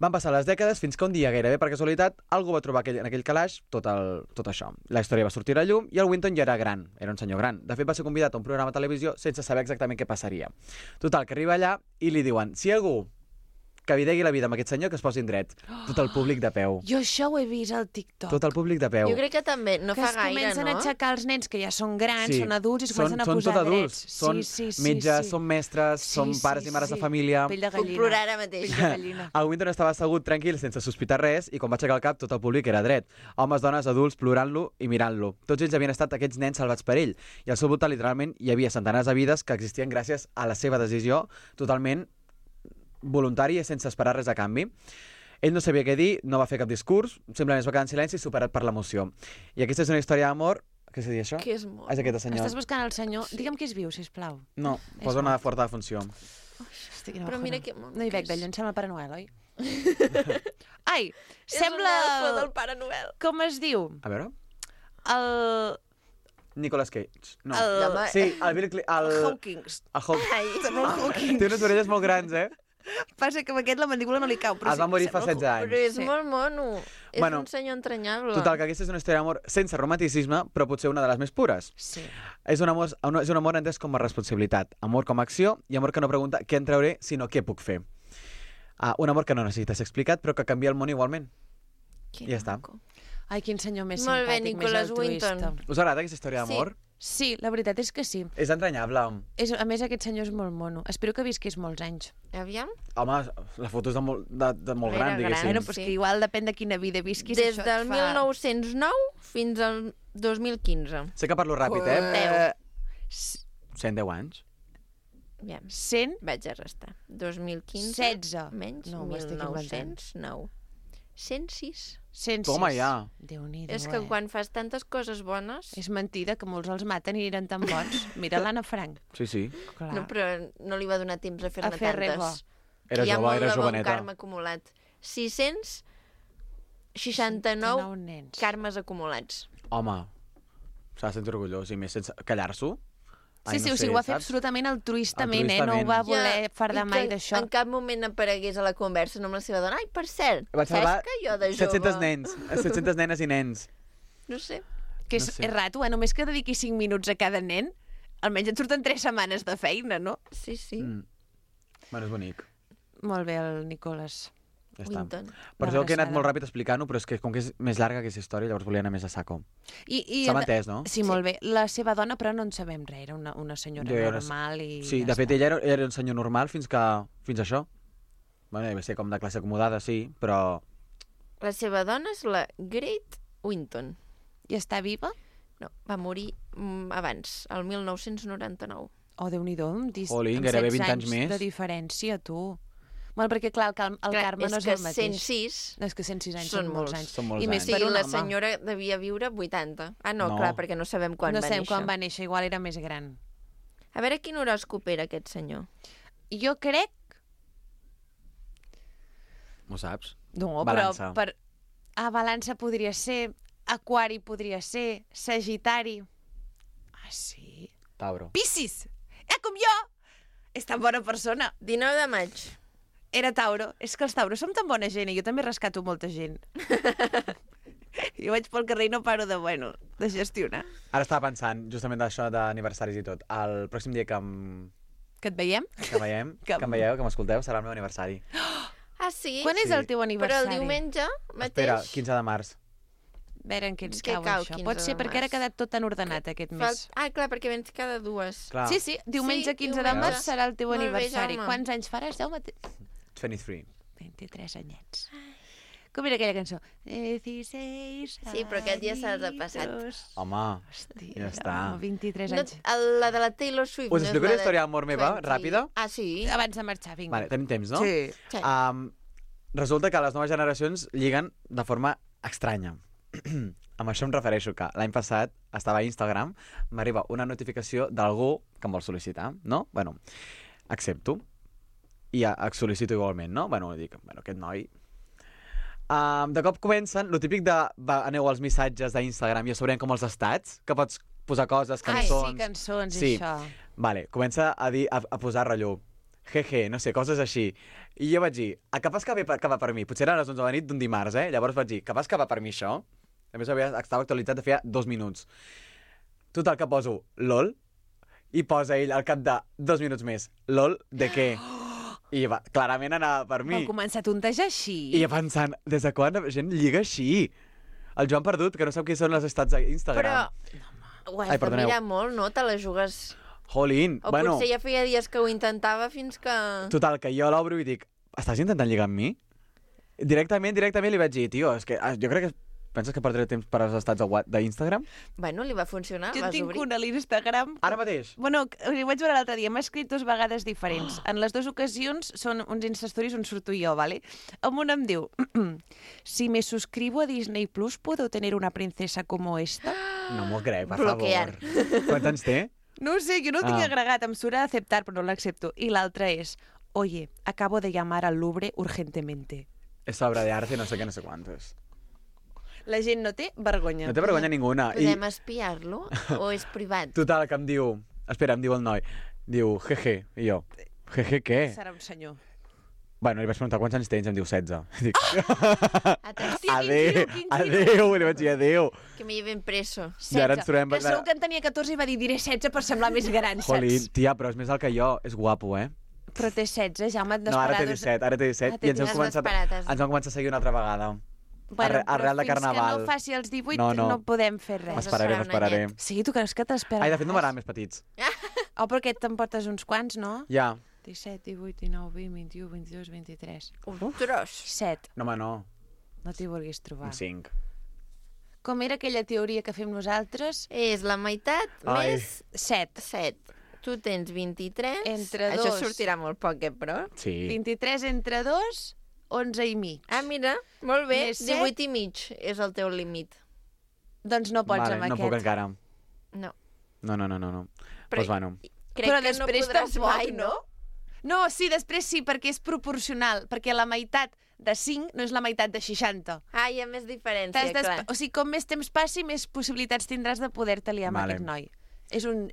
Van passar les dècades fins que un dia, gairebé per casualitat, algú va trobar en aquell calaix tot això. La història va sortir a llum i el Winton ja era gran, era un senyor gran. De fet, va ser convidat a un programa de televisió sense saber exactament què passaria. Total, que arriba allà i li diuen, si algú que videgui la vida amb aquest senyor, que es posin dret. Tot el públic de peu. Jo això ho he vist al TikTok. Tot el públic de peu. Jo crec que també, no fa gaire, no? Que es comencen a aixecar els nens que ja són grans, sí. Són adults i es comencen a posar drets. Són metges, són mestres, són pares i mares de família. Pell de gallina. Puc plorar ara mateix. El Winton estava assegut tranquil, sense sospitar res, i quan va aixecar el cap, tot el públic era dret. Homes, dones, adults, plorant-lo i mirant-lo. Tots ells havien estat aquests nens salvats per ell. I al seu voltant, literalment, hi havia centenars de vides que existien gràcies a la seva decisió totalment voluntari i sense esperar res a canvi. Ell no sabia què dir, no va fer cap discurs, simplement es va quedar en silenci superat per l'emoció. I aquesta és una història d'amor... Què s'ha dit, això? Què és amor? És aquest senyor. Estàs buscant el senyor... Digue'm que és viu, sisplau. No, posa una forta funció. Però mira que... No hi veig d'allò, em sembla Pare Noel, oi? Ai, sembla... És un elfo del Pare Noel. Com es diu? A veure... El... Nicolas Cage. No. Sí, el Bill Clinton. El Hawkins. Té unes orelles molt grans, eh? Passa que amb aquest la mandíbula no li cau. Es va morir fa 16 anys. Però és molt mono. És un senyor entranyable. Total, que aquesta és una història d'amor sense romanticisme, però potser una de les més pures. Sí. És un amor entès com a responsabilitat, amor com a acció i amor que no pregunta què en trauré, sinó què puc fer. Un amor que no necessita ser explicat, però que canvia el món igualment. I ja està. Ai, quin senyor més molt simpàtic, bé, Nicholas més altruista. Winton. Us agrada aquesta història d'amor? Sí, la veritat és que sí. És entranyable. A més, aquest senyor és molt mono. Espero que visquis molts anys. Aviam. Home, la foto és de molt gran, diguéssim. Bueno, però és que igual depèn de quina vida visquis. Des del 1909 fins al 2015. Sé que parlo ràpid, eh? 110 anys. Aviam. 100? Vaig a restar. 2015. 16. Menys No, m'estic inventant. 1909. 106. 106. Toma, ja. Déu-n'hi-do, És que quan fas tantes coses bones... És mentida, que molts els maten i eren tan bons. Mira l'Anna Frank. Sí. Clar. No, però no li va donar temps a fer-ne fer res bo. tantes. Era Hi ha jove, molt era de bon joveneta. karma acumulat. 669 nens. karmes acumulats. Home, s'ha de sentir orgullós, i més sense callar-s'ho. Sí, o sigui, ho va fer absolutament altruistament, no ho va voler fardar mai d'això. En cap moment aparegués a la conversa amb la seva dona. Ai, per cert, Vaig salvar saps que jo de jove... 700 nens, 700 nenes i nens. No sé. Que és rato, només que dediqui 5 minuts a cada nen, almenys et surten 3 setmanes de feina, no? Sí, sí. Bueno, és bonic. Molt bé, el Nicolas. Ja està. Winton. Per això que he anat molt ràpid explicant-ho, però és que com que és més llarga aquesta història, llavors volia anar més a saco. S'ha entès, no? Sí, molt bé. La seva dona, però no en sabem res, era una senyora normal i... Sí, de fet, ella era un senyor normal fins a això. Bueno, va ser com de classe acomodada, sí, però... La seva dona és la Great Winton. I està viva? No, va morir abans, el 1999. Oh, Déu-n'hi-do, amb Olin, gairebé 20 anys més. De diferència, tu. Bueno, perquè, clar, el Carme no és el mateix. És que 106... És que 106 anys són molts anys. Són molts I més anys. per un la home. senyora devia viure 80. Ah, no, clar, perquè no sabem quan va néixer. No sabem quan va néixer, igual era més gran. A veure quin horòscop era aquest senyor. Jo crec... Ho saps? No, Balança. però... Balança podria ser, Aquari podria ser, Sagitari... Ah, sí? Tauro. Piscis! Com jo! És tan bona persona. 19 de maig. Era Tauro. És que els Tauros som tan bona gent i jo també rescato molta gent. Jo vaig pel carrer i no paro de gestionar. Ara estava pensant, justament d'això d'aniversaris i tot. El pròxim dia que et veiem? Que em veieu, que m'escolteu, serà el meu aniversari. Ah, sí? Quan és el teu aniversari? Però el diumenge mateix... Espera, 15 de març. A veure en què ens cau això. Pot ser perquè ara ha quedat tot tan ordenat aquest mes. Ah, clar, perquè vens cada dues. Clar. Sí, diumenge 15 de març serà el teu aniversari. Quants anys faràs? 23. 23 anyets. Com era aquella cançó? 16 Sí, però aquest dia se'ls ha passat. Home, ja està. 23 anys. La de la Taylor Swift. Us explico una història d'amor meva, ràpida? Ah, sí? Abans de marxar, vinga. Vale, tenim temps, no? Sí. Resulta que les noves generacions lliguen de forma estranya. Amb això em refereixo que l'any passat estava a Instagram, m'arriba una notificació d'algú que em vol sol·licitar, no? Bueno, accepto. I sol·licito igualment, no? Bueno, dic, aquest noi... De cop comencen, lo típic de aneu als missatges d'Instagram i a sobre com els estats, que pots posar coses, cançons... Ai, sí, cançons sí. i això. Vale, comença a posar rotllo. Jeje, no sé, coses així. I jo vaig dir, capaz que va per mi. Potser eren les 11 de la nit d'un dimarts, Llavors vaig dir, capaz que va per mi això? A més, estava actualitzat de feia 2 minuts. Total, que poso LOL i posa ell al cap de 2 minuts més. LOL de què? I clarament anava per mi. Va començar a tontejar així. I jo pensant, des de quan la gent lliga així? El Joan Perdut, que no sap què són les estats d'Instagram. Però ho has de mirar molt, no? Te la jugues... Jolín, o potser ja feia dies que ho intentava fins que... Total, que jo l'obro i dic, estàs intentant lligar amb mi? Directament li vaig dir, tio, és que jo crec que penses que perdré temps per als estats d'Instagram? Bueno, li va funcionar, jo vas tinc obrir. una a l'Instagram. Ara mateix? Bueno, ho vaig veure l'altre dia, m'ha escrit 2 vegades diferents. En les 2 ocasions són uns Instastories on surto jo, ¿vale? En una em diu, si me suscribo a Disney Plus, ¿puedo tener una princesa como esta? No m'ho crec, per Bloquear. favor. Quants anys té? No ho sé, jo no ho tinc agregat, em surt a aceptar, però no l'accepto. I l'altra és, oye, acabo de llamar al Louvre urgentemente. És obra de arte, no sé què, no sé quantos. La gent no té vergonya. No té vergonya ninguna. Podem espiar-lo o és privat? Total, que em diu... Espera, em diu el noi. Diu, jeje. I jo, jeje què? Serà un senyor. Bueno, li vaig preguntar quants anys tens, em diu 16. Dic, Adéu. adéu, li vaig dir adéu. Que me lleven preso. 16. I ara ens trobem... Que segur que en tenia 14 i va dir, diré 16 per semblar més gran, saps? Jolín, tia, però és més alt que jo. És guapo, Però té 16, Jaume, et No, ara té 17, ara té 17. I ens vam començar a seguir una altra vegada. arrel de carnaval. Fins que no faci els 18 no podem fer res. M'esperaré. Sí, tu creus que t'esperes? Ai, de fet no m'agraden més petits. Oh, perquè t'emportes uns quants, no? Ja. 17, 18, 19, 20, 21, 22, 23... Un tros. 7. No, home, no. No t'hi vulguis trobar. Un 5. Com era aquella teoria que fem nosaltres? És la meitat més 7. 7. Tu tens 23. Entre 2. Això sortirà molt poc, però? Sí. 23 entre 2, 11 i mig. Ah, mira, molt bé. Més 18 i mig és el teu límit. Doncs no pots amb no aquest. puc encara. No. No. Però, Doncs bueno. Crec però que després no podràs tampoc, mai, no? No, sí, després sí, perquè és proporcional, perquè la meitat de 5 no és la meitat de 60. Ah, hi ha més diferència, clar. O sigui, com més temps passi, més possibilitats tindràs de poder-te liar amb Vale. aquest noi. És un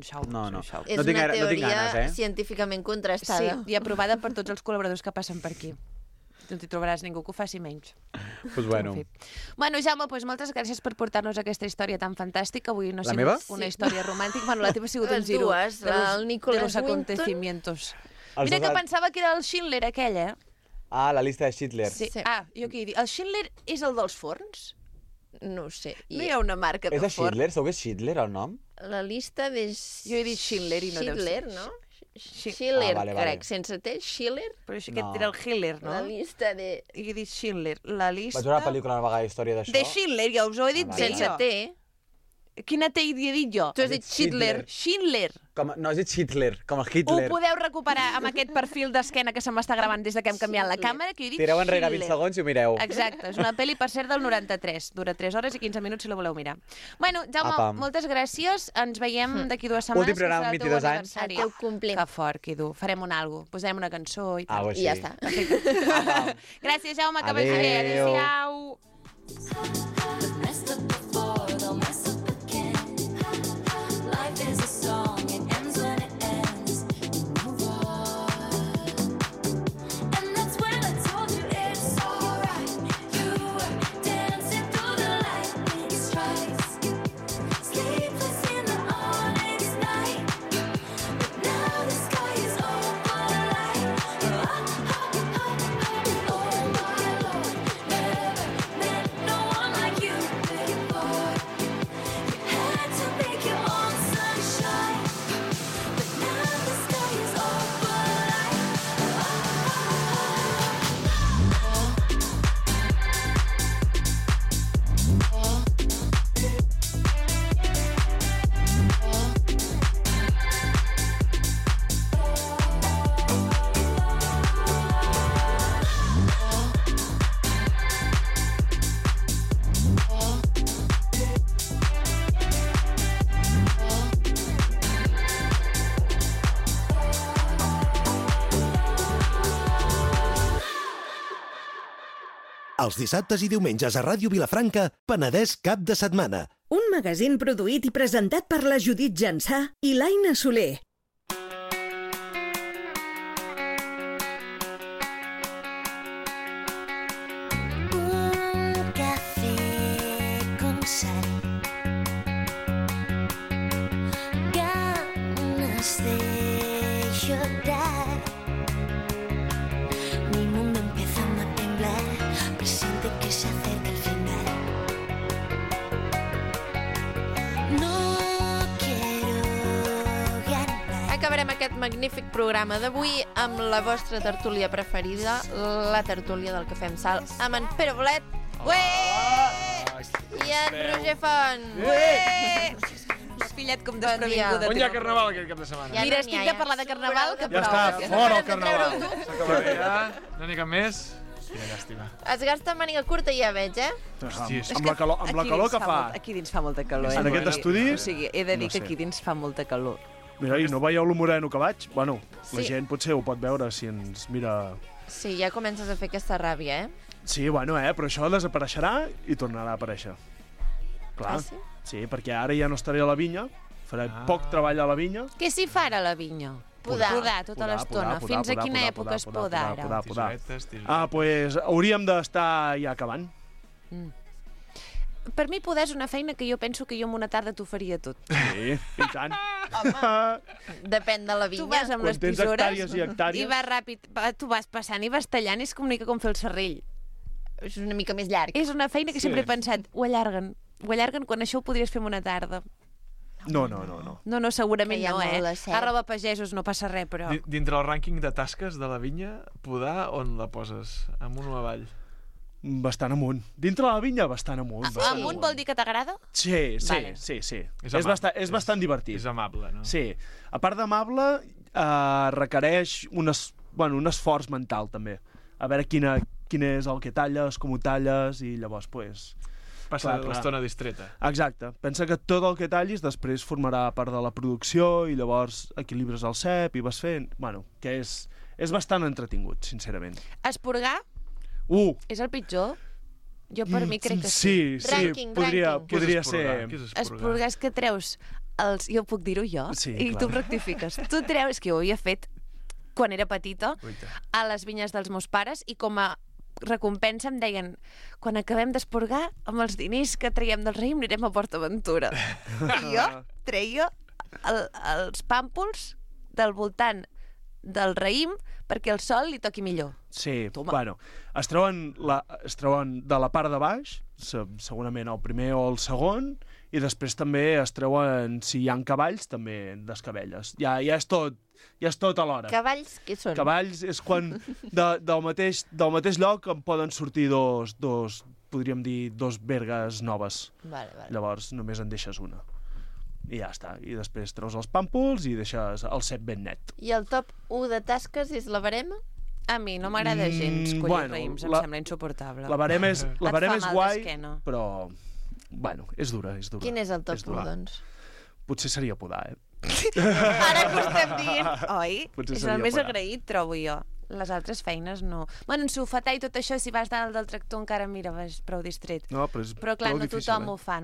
show. No. És un show. És una teoria científicament contrastada. Sí, i aprovada per tots els col·laboradors que passen per aquí. No t'hi trobaràs ningú que ho faci menys. Pues bueno. Bueno, Jaume, doncs moltes gràcies per portar-nos aquesta història tan fantàstica. Avui no ha sigut meva? una història romàntica. Bueno, la teva ha sigut un giro dues, el Nicholas de los Winton. acontecimientos. Els Mira dos que pensava que era el Schindler aquell, eh? Ah, la llista de Schindler. Sí. Ah, jo què he dit? El Schindler és el dels forns? No ho sé. No hi ha una marca de És de forn? Schindler? Segur que és Schindler el nom? La llista de... Jo he dit Schindler i no deu ser. Schindler, no? Schiller, vale. crec. Sense T, Schiller. Però això aquest era el Hitler, no? La llista de... I he dit Schindler. La llista... Vaig veure una pel·lícula una vegada d'història d'això. de Schindler, ja us ho he dit bé. Sense T. Quina T he dit jo? Tu has dit Schindler. Schindler. No, has dit Hitler, com el Ho Hitler. podeu recuperar amb aquest perfil d'esquena que se m'està gravant des de que hem canviat la càmera, que he dit Tireu enrere Schindler. 20 segons i ho mireu. Exacte, és una pel·li, per cert, del 93. Dura 3 hores i 15 minuts si la voleu mirar. Bueno, Jaume, Apa. moltes gràcies. Ens veiem d'aquí 2 setmanes. Últim programa amb 22 anys. El teu complet. Que fort, Quidu. Farem un algo. Posarem una cançó i tal. Au, I ja així. està. Gràcies, Jaume, que vagi bé. Adéu. Adéu-siau. Els dissabtes i diumenges a Ràdio Vilafranca, Penedès cap de setmana. Un magazín produït i presentat per la Judit Jansà i l'Aina Soler. Un café con sal, ganas de llorar. Mi mundo empezando a temblar, presiente que se acerca el final. No quiero ganar. Acabarem aquest magnífic programa d'avui amb la vostra tertúlia preferida, la tertúlia del Cafè amb Sal, amb en Pere Bolet i en Roger Font. M'ha pillat com desprevinguda. On hi ha carnaval aquest cap de setmana? Ja Mira, no n'hi estic ha, de ja. parlar de carnaval que Ja prou. està, fora el carnaval. Treure-ho tu. S'acaba bé, ja. No n'hi ha cap més. Quina llàstima. Es gasta màniga curta, ja veig, eh? Hòsties, amb la calor que fa. Aquí dins fa molta calor. En aquest estudi? O sigui, he de dir No que sé. aquí dins fa molta calor. Mira, i no veieu lo moreno que vaig? Bueno, la Sí. gent potser ho pot veure si ens mira... Sí, ja comences a fer aquesta ràbia, eh? Sí, bueno, però això desapareixerà i tornarà a aparèixer. Clar. Ah, sí? Sí, perquè ara ja no estaré a la vinya, faré poc treball a la vinya. Què s'hi fa ara a la vinya? Podar. Podar tota l'estona. Fins a quina època es poda ara? Podar. Pues hauríem d'estar ja acabant. Per mi podar és una feina que jo penso que jo en una tarda t'ho faria tot. Sí, i tant. Depèn de la vinya. Tu vas amb Quan les tens tisores hectàrees i hectàrees. i vas ràpid, tu vas passant i vas tallant, és com una mica com fer el serrell. és una mica més llarg. És una feina que sempre he pensat, ho allarguen quan això ho podries fer en una tarda. No. No, segurament no, Arroba pagesos, no passa res, però... Dintre el rànquing de tasques de la vinya, podar, on la poses? Amunt o avall? Bastant amunt. Dintre la vinya, bastant amunt. Amunt vol dir que t'agrada? Sí. Vale. Sí. És bastant divertit. És amable, no? Sí. A part d'amable, requereix un esforç mental, també. A veure quin és el que talles, com ho talles, i llavors, pues... Passa l'estona distreta. Exacte. Pensa que tot el que tallis després formarà part de la producció i llavors equilibres el cep i vas fent... Bueno, que és bastant entretingut, sincerament. Esporgar? És el pitjor? Jo per mi crec que sí. Sí, podria ser... Esporgar és que treus els... Jo puc dir-ho jo? Sí, I clar. tu rectifiques. Tu treus, que jo ho havia fet quan era petita, a les vinyes dels meus pares, i com a recompensa em deien, quan acabem d'esporgar, amb els diners que traiem del raïm anirem a PortAventura. I jo treia els pàmpols del voltant del raïm perquè el sol li toqui millor. Sí, bueno, es treuen de la part de baix, segurament el primer o el segon, i després també es treuen, si hi ha cavalls, també descabelles. Ja és tot alhora. Cavalls, què són? Cavalls és quan del mateix lloc en poden sortir dos podríem dir, dos vergues noves. Vale. Llavors només en deixes una. I ja està. I després treus els pàmpols i deixes el cep ben net. I el top 1 de tasques és la barema? A mi no m'agrada gens collir raïms, em sembla insuportable. La barema és guai, però... Bueno, és dura. Quin és el top 1, doncs? Potser seria podar, Ara que ho estem dient, oi? Potser és el més agraït, trobo jo. Les altres feines no. Bueno, ensofatar i tot això, si vas dalt del tractor encara, mira, vas prou distret. No, però és però clar, prou no difícil, tothom ho fa,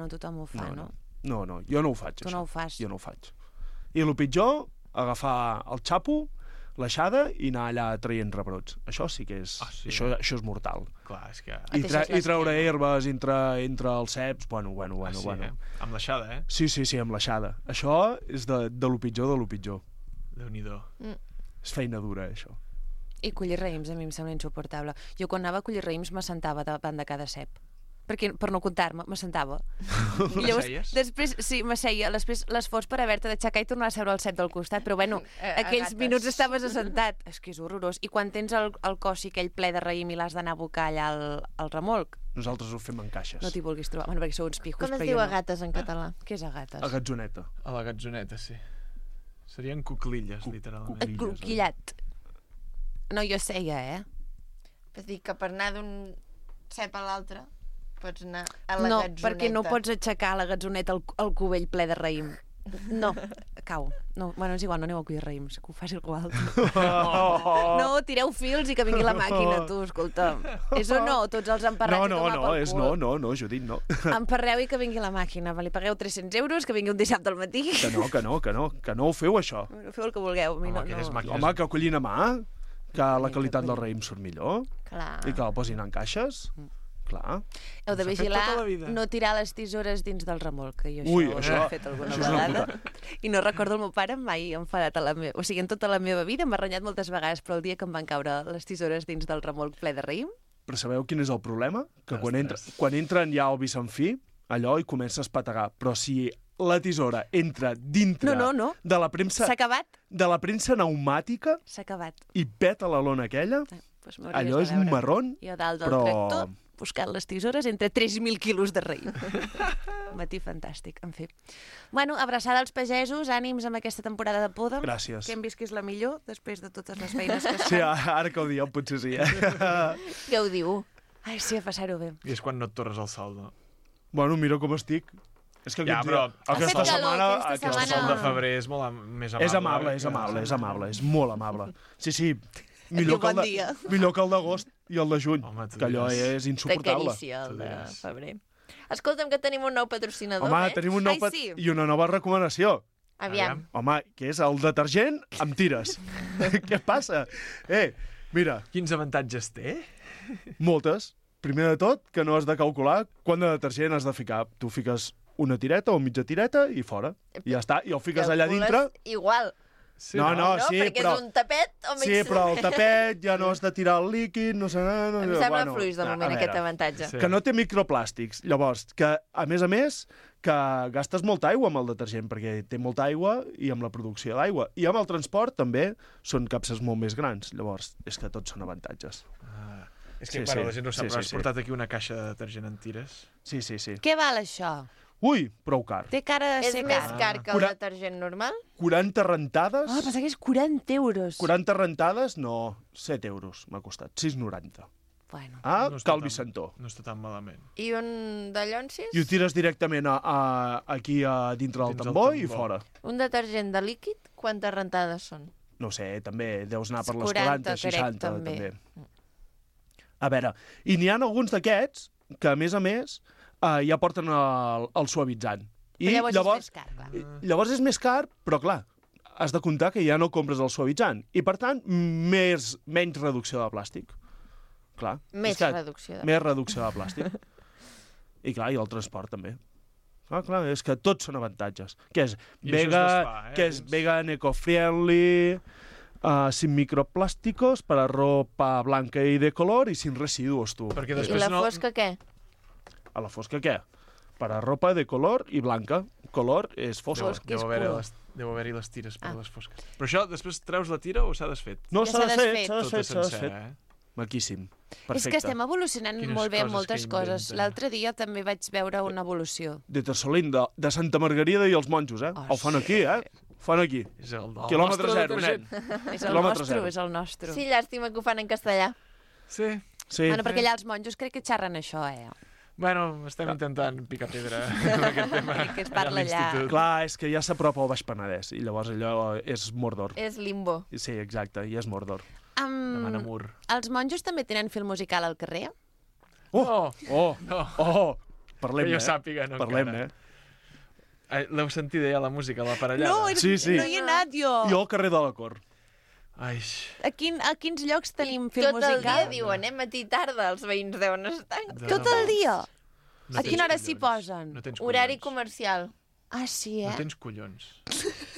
no? No, jo no ho faig, Tu no ho fas. Jo no ho faig. I el pitjor, agafar el xapo, l'aixada i anar allà traient rebrots. Això sí que és... Això és mortal. Clar, és que... I treure herbes entre els ceps, bueno. Amb l'aixada, Sí, amb l'aixada. Això és de lo pitjor de lo pitjor. Déu-n'hi-do. És feina dura, això. I collir raïms a mi em sembla insuportable. Jo quan anava a collir raïms m'assentava davant de cada cep. Perquè, per no comptar-me, m'assentava. I llavors, després, sí, m'asseia. Després l'esforç per haver-te d'aixecar i tornar a seure al cep del costat. Però bueno, aquells minuts estaves assentat. És que és horrorós. I quan tens el cossi aquell ple de raïm i l'has d'anar a abocar allà al remolc... Nosaltres ho fem en caixes. No t'hi vulguis trobar. Bueno, perquè sou uns pijos, Com es diu agates en català? Què és agates? A gatzoneta. A la gatzoneta, sí. Serien cuclilles, literalment. Cuquillat. No, jo seia, És dir, que per anar d'un cep a l'altre pots anar a la gatzoneta. No, perquè no pots aixecar a la gatzoneta el cubell ple de raïm. No, cau. No, bueno, és igual, no aneu a collir raïms, que ho faci algú altre. No, tireu fils i que vingui la màquina, tu, escolta. És o no? Tots els emparrats i tomar pel cul. No, Judit, no. Emparreu i que vingui la màquina. Li pagueu 300 euros, que vingui un dissabte al matí. Que no ho feu, això. Feu el que vulgueu. Home, que collin a mà, que la qualitat del raïm surt millor. Clar. I que la posin en caixes. Clar. Heu de vigilar no tirar les tisores dins del remolc, que jo això ho he fet alguna vegada. I no recordo el meu pare mai enfadat o sigui, en tota la meva vida m'ha renyat moltes vegades, però el dia que em van caure les tisores dins del remolc ple de raïm... Però sabeu quin és el problema? Que quan entren ja al Vicentí, allò hi comença a espetegar. Però si la tisora entra dintre de la premsa... S'ha acabat? De la premsa pneumàtica... S'ha acabat. I peta la lona aquella... Allò és un marrón, jo dalt del tractor, buscant les tisores entre 3.000 quilos de raïm. Matí fantàstic, en fi. Bueno, abraçada als pagesos, ànims amb aquesta temporada de poda. Gràcies. Que hem vist que és la millor, després de totes les feines que es fan. Sí, ara que ho dieu, potser sí. Què ho diu? Ai, sí, a passar-ho bé. I és quan no et torres el sol, no? Bueno, mira com estic. És que aquesta setmana... El sol de febrer és molt més amable. És amable, és molt amable. Sí, millor que el d'agost i el de juny, que allò és insuportable. De carícia, el de febrer. Escolta'm, que tenim un nou patrocinador, tenim un nou i una nova recomanació. Aviam. Home, que és el detergent amb tires. Què passa? Mira. Quins avantatges té? Moltes. Primer de tot, que no has de calcular quant de detergent has de ficar. Tu fiques una tireta o mitja tireta i fora. I ja està. I el fiques allà dintre. Igual. Sí, no, sí, perquè però... és un tapet o Sí, però el tapet ja no has de tirar el líquid, no sé... Em sembla fluix de moment aquest avantatge. Que no té microplàstics. Llavors, que a més, que gastes molta aigua amb el detergent, perquè té molta aigua i amb la producció d'aigua. I amb el transport també són capses molt més grans. Llavors, és que tots són avantatges. És que, la gent no sap, però has portat aquí una caixa de detergent en tires. Sí. Què val això? Ui, prou car. Té cara de ser És més car que el detergent normal? 40 rentades... Ah, pensava que és 40 euros. 40 rentades, no, 7 euros m'ha costat, 6,90. Bueno. No Cal Vicentó. No està tan malament. I un de llonsis? I ho tires directament aquí a dintre del tambor i fora. Un detergent de líquid, quantes rentades són? No sé, també deus anar per les 40, 40, 60, també. A veure, i n'hi ha alguns d'aquests que, a més, ja porten el suavitzant. I llavors és més car, clar. Llavors és més car, però clar, has de comptar que ja no compres el suavitzant. I, per tant, menys reducció de plàstic. Clar. Més reducció de plàstic. I clar, i el transport també. Clar, és que tots són avantatges. Que és vegan, eco-friendly, sin microplásticos, para ropa blanca y de color y sin residuos, tu. I la fosca què? A la fosca què? Para ropa de color i blanca. Color és fosca. Deu haver-hi les tires per les fosques. Però això, després treus la tira o s'ha desfet? No, s'ha desfet. S'ha desfet. Maquíssim. Perfecte. És que estem evolucionant molt bé en moltes coses. L'altre dia també vaig veure una evolució. De Tersolín, de Santa Margarida i els monjos, El fan aquí, Fan aquí. És el Quilòmetre zero, nen. És el nostre. Sí, llàstima que ho fan en castellà. Sí. Bueno, perquè allà els monjos crec que xerren això, Bueno, estem intentant picar pedra en aquest tema. Que es parla allà. Clar, és que ja s'apropa al Baix Penedès i llavors allò és Mordor. És limbo. Sí, exacte, i és Mordor. Demana mur. Els monjos també tenen fil musical al carrer? Parlem, que jo sàpiga, no parlem, L'heu sentida ja, la música, l'aparellada? No, sí. No hi he anat, jo. Jo al carrer de la Cor. Ai. A quins llocs tenim fil Tot musical? el dia diuen, matí i tarda, els veïns deuen estar. Tot el dia? A quina hora s'hi posen? Horari comercial. Ah, sí, No tens collons.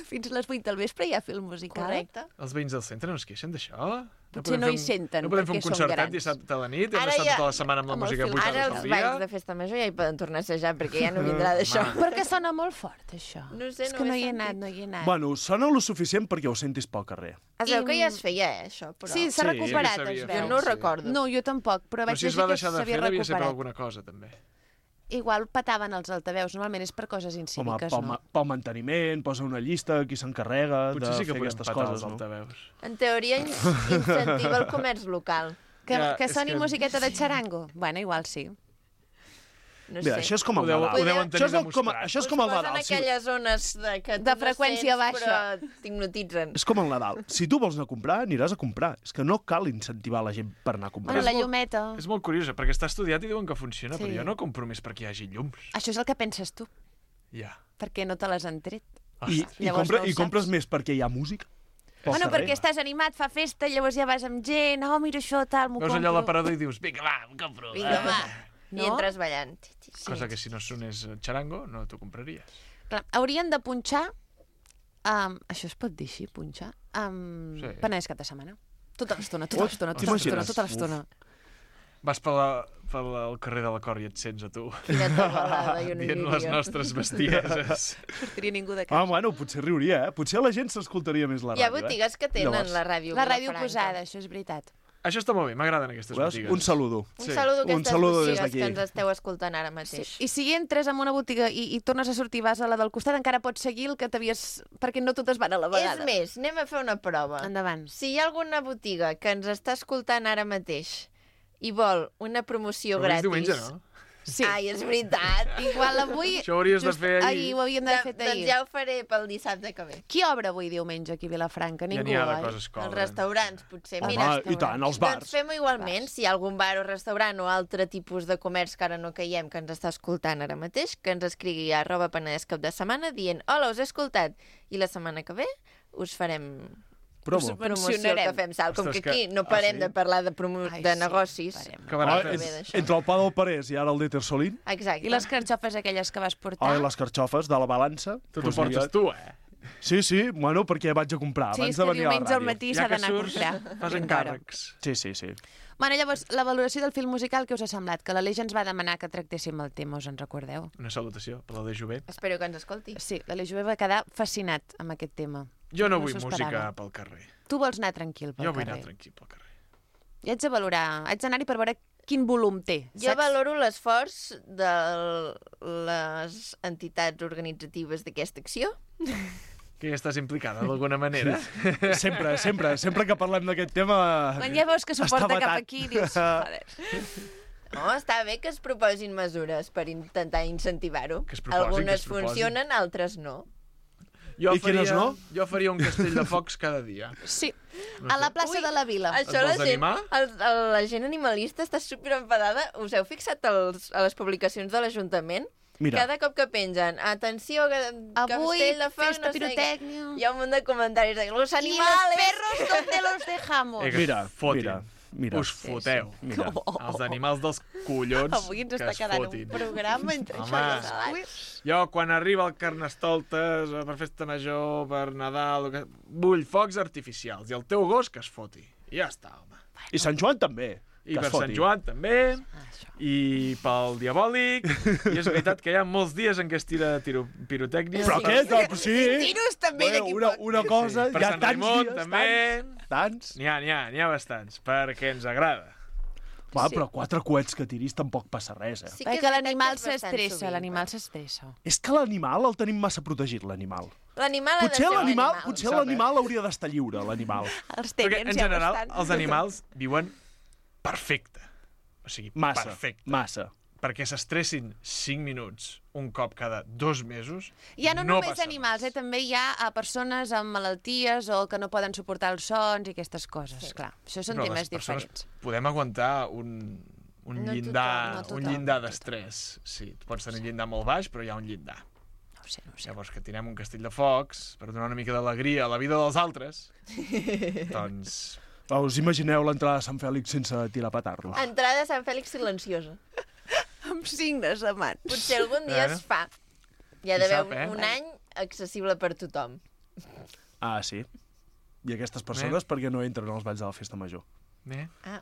Fins les 8 del vespre hi ha fil musical. Correcte. Els veïns del centre no es queixen d'això? Potser no hi senten, No podem fer un perquè són concertat grans. dissabte a la nit i hem estat tota la setmana amb la música 8 Ara hores els al dia. balls de festa major ja hi poden tornar a assajar, perquè ja no vindrà d'això. Perquè sona molt fort, això. No sé, És que no hi he anat, Bueno, sona lo suficient perquè ho sentis pel carrer. Es veu que ja es feia, això, però... Sí, s'ha recuperat, es veu. Jo no ho recordo. No, jo tampoc, però vaig si es llegir va que deixar de s'havia fer, devia ser per recuperat. alguna cosa, també. Igual petaven els altaveus, normalment és per coses incíviques, no? Pel manteniment, posa una llista, qui s'encarrega de Potser sí que fer podem aquestes petar coses, els altaveus. En teoria, incentiva el comerç local. Que soni musiqueta de xarango? Bueno, igual sí. No Mira, sé. això és com el Nadal. Això és com el Nadal. Posen aquelles zones que de freqüència baixa. Però t'hipnotitzen. És com el Nadal. Si tu vols anar a comprar, aniràs a comprar. És que no cal incentivar la gent per anar a comprar. Bueno, la llumeta... És molt curiós, perquè està estudiat i diuen que funciona, Sí. però jo no compro més perquè hi hagi llums. Això és el que penses tu. Ja. Perquè no te les han tret. I compres més perquè hi ha música? Bueno, perquè estàs animat, fa festa, llavors ja vas amb gent, mira això, tal, m'ho Veus compro. allà a l'aparador i dius, vinga, va, em compro. Vinga, va. I entres ballant. Cosa que si no sonés xarango, no t'ho compraries. Clar, haurien de punxar, això es pot dir així, punxar, Sí. Penedès cap de setmana. Tota l'estona. Vas pel carrer de la Cor i et sents a tu. Quina tabalada, jo no hi dient iria. les nostres bestieses. Sortiria ningú de casa. Bueno, potser riuria, Potser la gent s'escoltaria més la ràdio, Hi ha botigues que tenen la ràdio. La ràdio posada, això és veritat. Això està molt bé, m'agraden aquestes botigues. Un saludo. Un saludo a aquestes des botigues d'aquí. que ens esteu escoltant ara mateix. I si entres en una botiga i tornes a sortir, vas a la del costat, encara pots seguir el que t'havies... Perquè no totes van a la vegada. És més, anem a fer una prova. Endavant. Si hi ha alguna botiga que ens està escoltant ara mateix i vol una promoció Però és gratis... diumenge, no? Sí. Ai, és veritat. Igual avui... Això ho hauries de fer ahir. Ho havíem d'haver fet Doncs ahir. ja ho faré pel dissabte que ve. Qui obre avui diumenge aquí a Vilafranca? Ningú, n'hi ha de oi? coses que Els obren. restaurants, potser. Els Mira, I tant, els bars. doncs fem-ho igualment. Si hi ha algun bar o restaurant o altre tipus de comerç que ara no caiem, que ens està escoltant ara mateix, que ens escrigui a @penedès cap de setmana dient hola, us he escoltat. I la setmana que ve us farem... Promo. Promoció que fem salt. Com Ostres, que aquí que- no parem sí? de parlar de negocis. Que barat Molt és. bé d'això. Entre el pa del Parés i ara el de Tersolín. Exacte. I les carxofes aquelles que vas portar? Les carxofes de la balança. Tu t'ho portes tu, Sí, bueno, perquè vaig a comprar Sí, abans és de que venir a la diumenge al ràdio. matí s'ha d'anar a comprar. Fas encàrrecs. Sí. Bueno, llavors, la valoració del film musical, què us ha semblat? Que l'Aleix ens va demanar que tractéssim el tema, us en recordeu? Una salutació per l'Aleix Jové. Espero que ens escolti. Sí, l'Aleix Jové va quedar fascinat amb aquest tema. Jo no vull s'ho música esperava. pel carrer. Tu vols anar tranquil pel Jo vull carrer. anar tranquil pel carrer. I haig de valorar, haig d'anar-hi per veure quin volum té. Jo saps? valoro l'esforç de les entitats organitzatives d'aquesta acció. Que ja estàs implicada d'alguna manera. Sempre que parlem d'aquest tema... Quan ja veus que s'ho està porta cap vetat. aquí, dius, joder. No, està bé que es proposin mesures per intentar incentivar-ho. Que es proposin, Algunes que es proposin. funcionen, altres no. I quines no? Jo faria un castell de focs cada dia. Sí, No a sé. la plaça de la Vila. Això vols animar? la gent animalista està superenfadada. Us heu fixat a les publicacions de l'Ajuntament? Mira. Cada cop que pengen, atenció, Avui, castell de focs, festa no sé què. pirotècnia. Hi ha un munt de comentaris de los I animales... los perros, ¿dónde los dejamos? Que Mira, es fotin. mira. Us foteu. Mira. Els animals dels collons Avui ens que està es quedant fotin. un programa entre Home. això i els salats. Jo, quan arriba el Carnestoltes, per festa major, per Nadal, vull focs artificials. I el teu gos que es foti. I ja està, home. I Sant Joan també. I que per es foti. Sant Joan també, i pel diabòlic, i és veritat que hi ha molts dies en què es tira pirotècnia. Però què? Doncs sí. Tiros també d'aquí poc. Una cosa, Per hi ha Sant tants Raimon dies, també. tants. N'hi ha bastants, perquè ens agrada. Va, però 4 coets que tiris tampoc passa res, Sí Perquè és veritat l'animal que és bastant s'estressa, sovint, l'animal s'estressa. És que l'animal el tenim massa protegit, l'animal. L'animal ha de Potser ser l'animal l'animal. potser l'animal hauria d'estar lliure, l'animal. Els Perquè, tenients en ja ho general, estan. els animals viuen perfecte. O sigui, perfecte. Massa. Perquè s'estressin 5 minuts un cop cada 2 mesos, Ja no no només passa animals, també hi ha persones amb malalties o que no poden suportar els sons i aquestes coses. Sí. Clar, això són Però temes les persones diferents. podem aguantar un No llindar, tothom, no un tothom. llindar d'estrès. Sí, tu pots tenir un llindar molt baix, però hi ha un llindar. No ho sé. Llavors, que tirem un castell de focs per donar una mica d'alegria a la vida dels altres, doncs... Us imagineu l'entrada de Sant Fèlix sense tirar petardo? Entrada a Sant Fèlix silenciosa. Amb signes de mans. Potser algun dia es fa. Hi ha Qui d'haver sap, eh? un any accessible per tothom. Ah, sí. I aquestes persones per què no entren als balls de la festa major? Ah.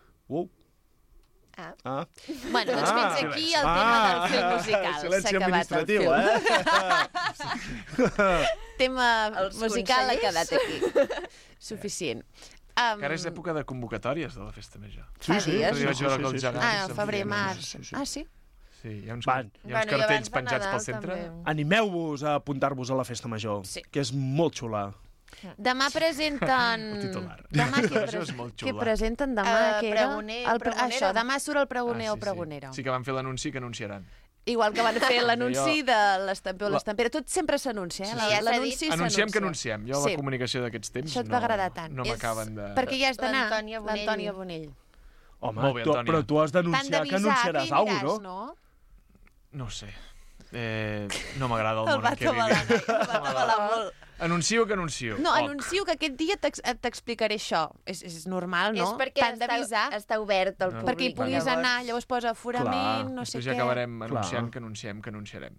Ah. Bueno, doncs fins aquí el tema del film musical. Silenci S'ha acabat el administratiu, film. Tema Els musical ha consellers. quedat aquí. Suficient. Que ara és època de convocatòries de la festa major. Fa dies, Arriba no? jo ara que els gegants Ah, em febrer, diuen, març. Ah, sí? Sí, hi ha uns, Van. hi ha uns cartells penjats pel centre. Animeu-vos a apuntar-vos a la festa major, que és molt xula. Demà presenten... titular. Demà Això és molt què xula. presenten demà? Què era? Pregoner, Això, pregonera. demà surt el pregoner o sí, pregonera. Sí, que van fer l'anunci que anunciaran. Igual que van fer l'anunci Jo- de l'estamper o l'estampera. Tot sempre s'anuncia, eh? Sí, ja s'ha L'anunci dit. s'anuncia. Anunciem que anunciem. Jo, Sí. la comunicació d'aquests temps Això et va agradar tant. no m'acaben de... Perquè ja has d'anar, L'Antònia Bonell. l'Antònia Bonell. Home, Molt bé, Antònia. però tu has T'han d'anunciar que d'avisar anunciaràs que hi alguna aniràs, cosa, no? No ho sé. No m'agrada el El món en què va vivim. atabalar molt. Anuncio que anuncio. No, Oc. anuncio que aquest dia t'explicaré això. És normal, no? És perquè T'han d'avisar està obert al públic. perquè hi puguis anar, llavors posa aforament, no sé Després ja què. acabarem Clar. anunciant que anunciem que anunciarem.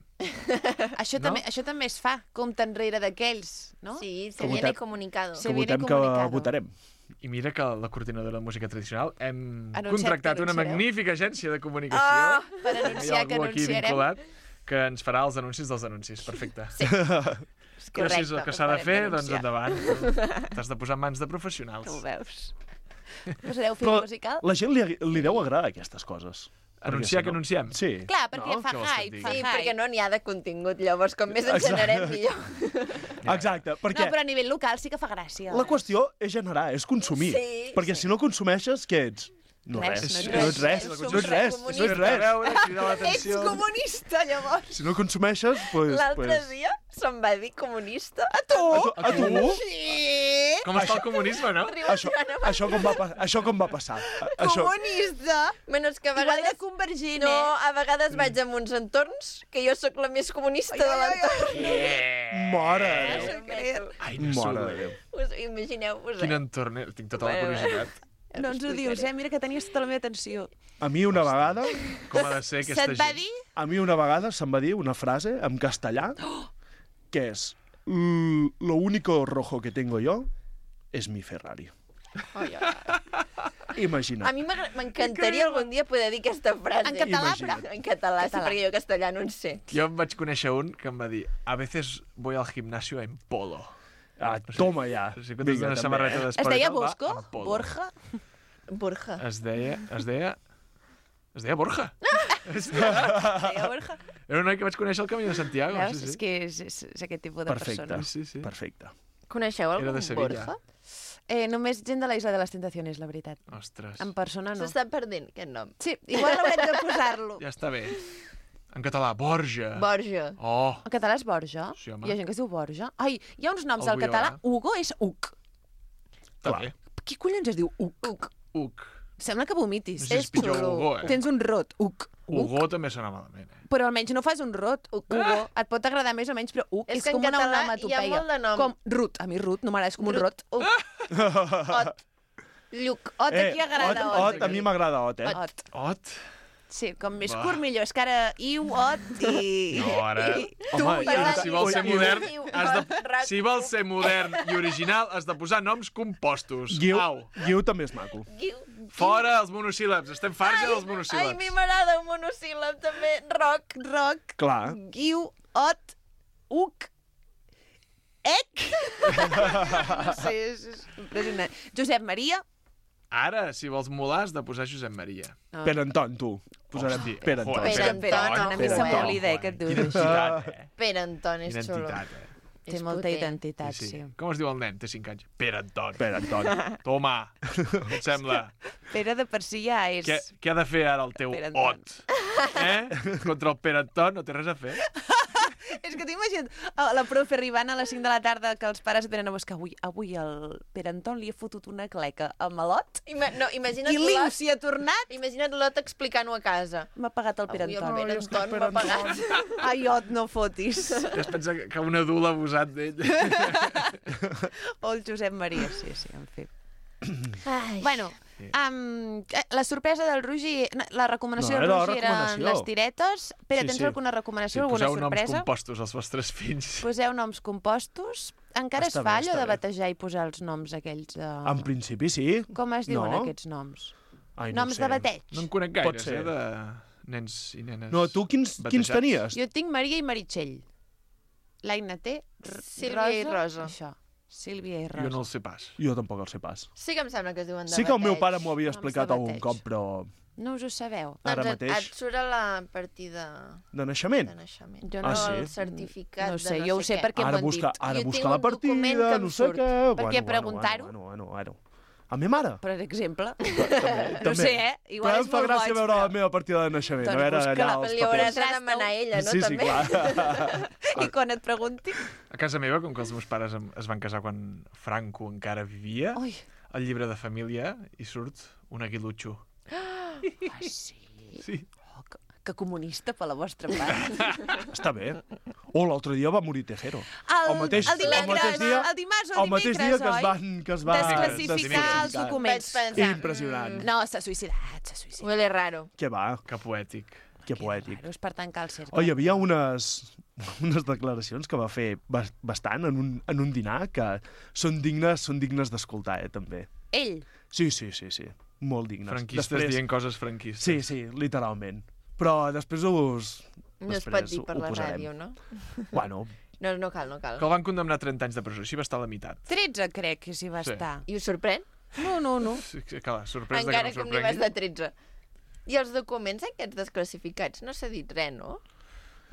Això també es fa, compte enrere d'aquells, no? Sí, se Que viene votem- comunicado. Se Que viene votem que comunicado. votarem. I mira que la coordinadora de música tradicional hem Anunciat contractat que una anunciareu. magnífica agència de comunicació. Ah, per Hi ha anunciar que algú aquí anunciarem. vinculat que ens farà els anuncis dels anuncis. Perfecte. Sí. Però si és el que s'ha de fer, doncs anunciar. endavant. T'has de posar en mans de professionals. Ho veus. Posareu film Però musical? la gent li deu agradar aquestes coses. Anunciar Perquè que anunciem? Sí. Clar, perquè fa Què vols que et hype, digui? fa Sí, hype. perquè no n'hi ha de contingut, llavors com més en Exacte. generem millor. Exacte, perquè No, però a nivell local sí que fa gràcia. la qüestió és generar, és consumir. Sí, Perquè si no consumeixes, què ets? No Res, res. no No ets ets res. res. No ets res. No ets A res. veure, cridar l'atenció. comunista, llavors. Si no consumeixes, doncs... L'altre dia se'm va dir comunista. A tu? A tu? Sí! Com està el comunisme, no? Això com va passar? Això... Comunista! Bueno, és que a Igual vegades... de convergent, No, eh? a vegades vaig a uns entorns que jo sóc la més comunista de l'entorn. Mare de Déu. Ai, Mare de Déu. Imagineu-vos, Quin entorn és? Tinc tota la curiositat. No ens ho dius, eh? Mira que tenies tota la meva atenció. A mi una vegada... Com ha de ser aquesta Se't va gent? dir? A mi una vegada se'm va dir una frase en castellà que és lo único rojo que tengo yo es mi Ferrari. Imagina't. A mi m'encantaria algun dia poder dir aquesta frase. En català, però. En català, sí, perquè jo castellà no en sé. Jo em vaig conèixer un que em va dir a veces voy al gimnasio en polo. Toma ja. O sigui, quan tens una samarreta d'esport... Es deia i tal, va Bosco? en polo. Borja? Borja. Es deia Borja. Es deia Borja. Era un noi que vaig conèixer al Camí de Santiago. Veus? Sí, sí. És que és aquest tipus de persona. Perfecte. Coneixeu Era algun de Sevilla. Borja? Només gent de la Isla de les Tentaciones, la veritat. Ostres. En persona no. S'està perdent, aquest nom. Sí, igual haurem de posar-lo. Ja està bé. En català, Borja. Borja. Oh. En català és Borja? Sí, home. Hi ha gent que es diu Borja? Ai, hi ha uns noms al Algú hi català. haurà. Hugo és Uc. Està bé. Qui collons es diu Uc? Uc. Sembla que vomitis. No sé si és pitjor Hugo, Tens un rot, Uc. Hugo també sona malament, Però almenys no fas un rot, Hugo. Et pot agradar més o menys, però Uc És és que en com una català onomatopeia. hi ha molt de nom. Com Ruth. A mi Ruth no m'agrada, és com un rot. Ot. Lluc. Ot, aquí agrada Ot. A mi m'agrada Ot, Ot. Ot? Sí, com més Va. curt millor. És que ara Iu, Ot i... No, ara... Tu, Home, jo... Si vols ser modern, si vols ser modern i original, has de posar noms compostos. Au. Guiu també és maco. Fora els monosíl·labs. Estem farts dels Ai, a monosíl·labs. mi m'agrada un monosíl·lab també. Roc. Roc. Clar. Guiu, Ot, Uc, Ec. No sé, és impressionant. Josep Maria. Ara, si vols molar, has de posar Josep Maria. Pere Anton, tu. Posarem Hosti, Pere ojo, Anton. Pere Anton. A mi se m'oblida que et dius Quina així. entitat, Pere Anton és Quina xulo. entitat, Té molta identitat, sí. Com es diu el nen? Té 5 anys. Pere Anton. Pere Anton. Toma, et sembla? Pere de per si ja és... Què ha de fer ara el teu Pere Anton. Ot? Contra el Pere Anton no té res a fer? És que t'ho imagina't la profe arribant a les 5 de la tarda que els pares et venen a buscar. Avui el Pere Anton li ha fotut una cleca al malot No, imagina't i l'Iu s'hi ha tornat. Imagina't l'Ot explicant-ho a casa. M'ha pagat el Pere Avui Anton. el Pere Anton m'ha pagat. Ai, Ot, no fotis. Es pensa que un adult ha abusat d'ell. O el Josep Maria, sí, en fi. Ai. Bueno, la sorpresa del Roger, la recomanació del Roger eren les tiretes. Pere, tens alguna recomanació, alguna sorpresa? Poseu noms compostos als vostres fills. Poseu noms compostos. Encara es fa allò de batejar i posar els noms aquells de... En principi sí. Com es diuen aquests noms? Ai, Noms de bateig. No en conec gaires, de nens i nenes. No, tu quins tenies? Jo tinc Maria i Meritxell. L'Aina té Sílvia i Rosa. Això. Sílvia i Rosa. Jo no el sé pas. Jo tampoc el sé pas. Sí que em sembla que es diuen de Sí que el meu bateig. pare m'ho havia explicat algun cop, però... No us ho sabeu? Ara Doncs mateix. et surt a la partida De naixement? de naixement. Jo no, sí? el certificat No sé, de jo ho sé perquè Ara m'ho han dit. Ara Jo busca tinc la un document partida, que em no sé surt. què... Per què preguntar-ho? Bueno. A mi mare. Per exemple. També. No sé, Igual però és em fa molt gràcia boig, veure però... la meva partida de naixement. Doncs A veure busca-la, allà els Li hauràs papers. de demanar a ella, no? Sí, també? clar. I quan et pregunti... A casa meva, com que els meus pares es van casar quan Franco encara vivia, Ui. al llibre de família hi surt un aguilutxo. Ah, sí? Sí. Oh, que comunista per la vostra part. Està bé. L'altre dia va morir Tejero. El dimarts o el dimecres, que es va desclassificar els documents. Impressionant. No, s'ha suïcidat, Huele raro. Què va? Que poètic. Que poètic. És per tancar el cercle. Oh, hi havia unes declaracions que va fer bastant en un dinar que són dignes d'escoltar, també. Ell? Sí. Molt dignes. Franquistes dient coses franquistes. Sí, literalment. Però després No es pot dir per la ràdio, no? Bueno. No cal. Que el van condemnar a 30 anys de presó, així va estar a la meitat. 13, crec que s'hi va estar. I us sorprèn? No. Sí, clar, sorprès Encara que no que n'hi vas de 13. I els documents aquests desclassificats? No s'ha dit res, no?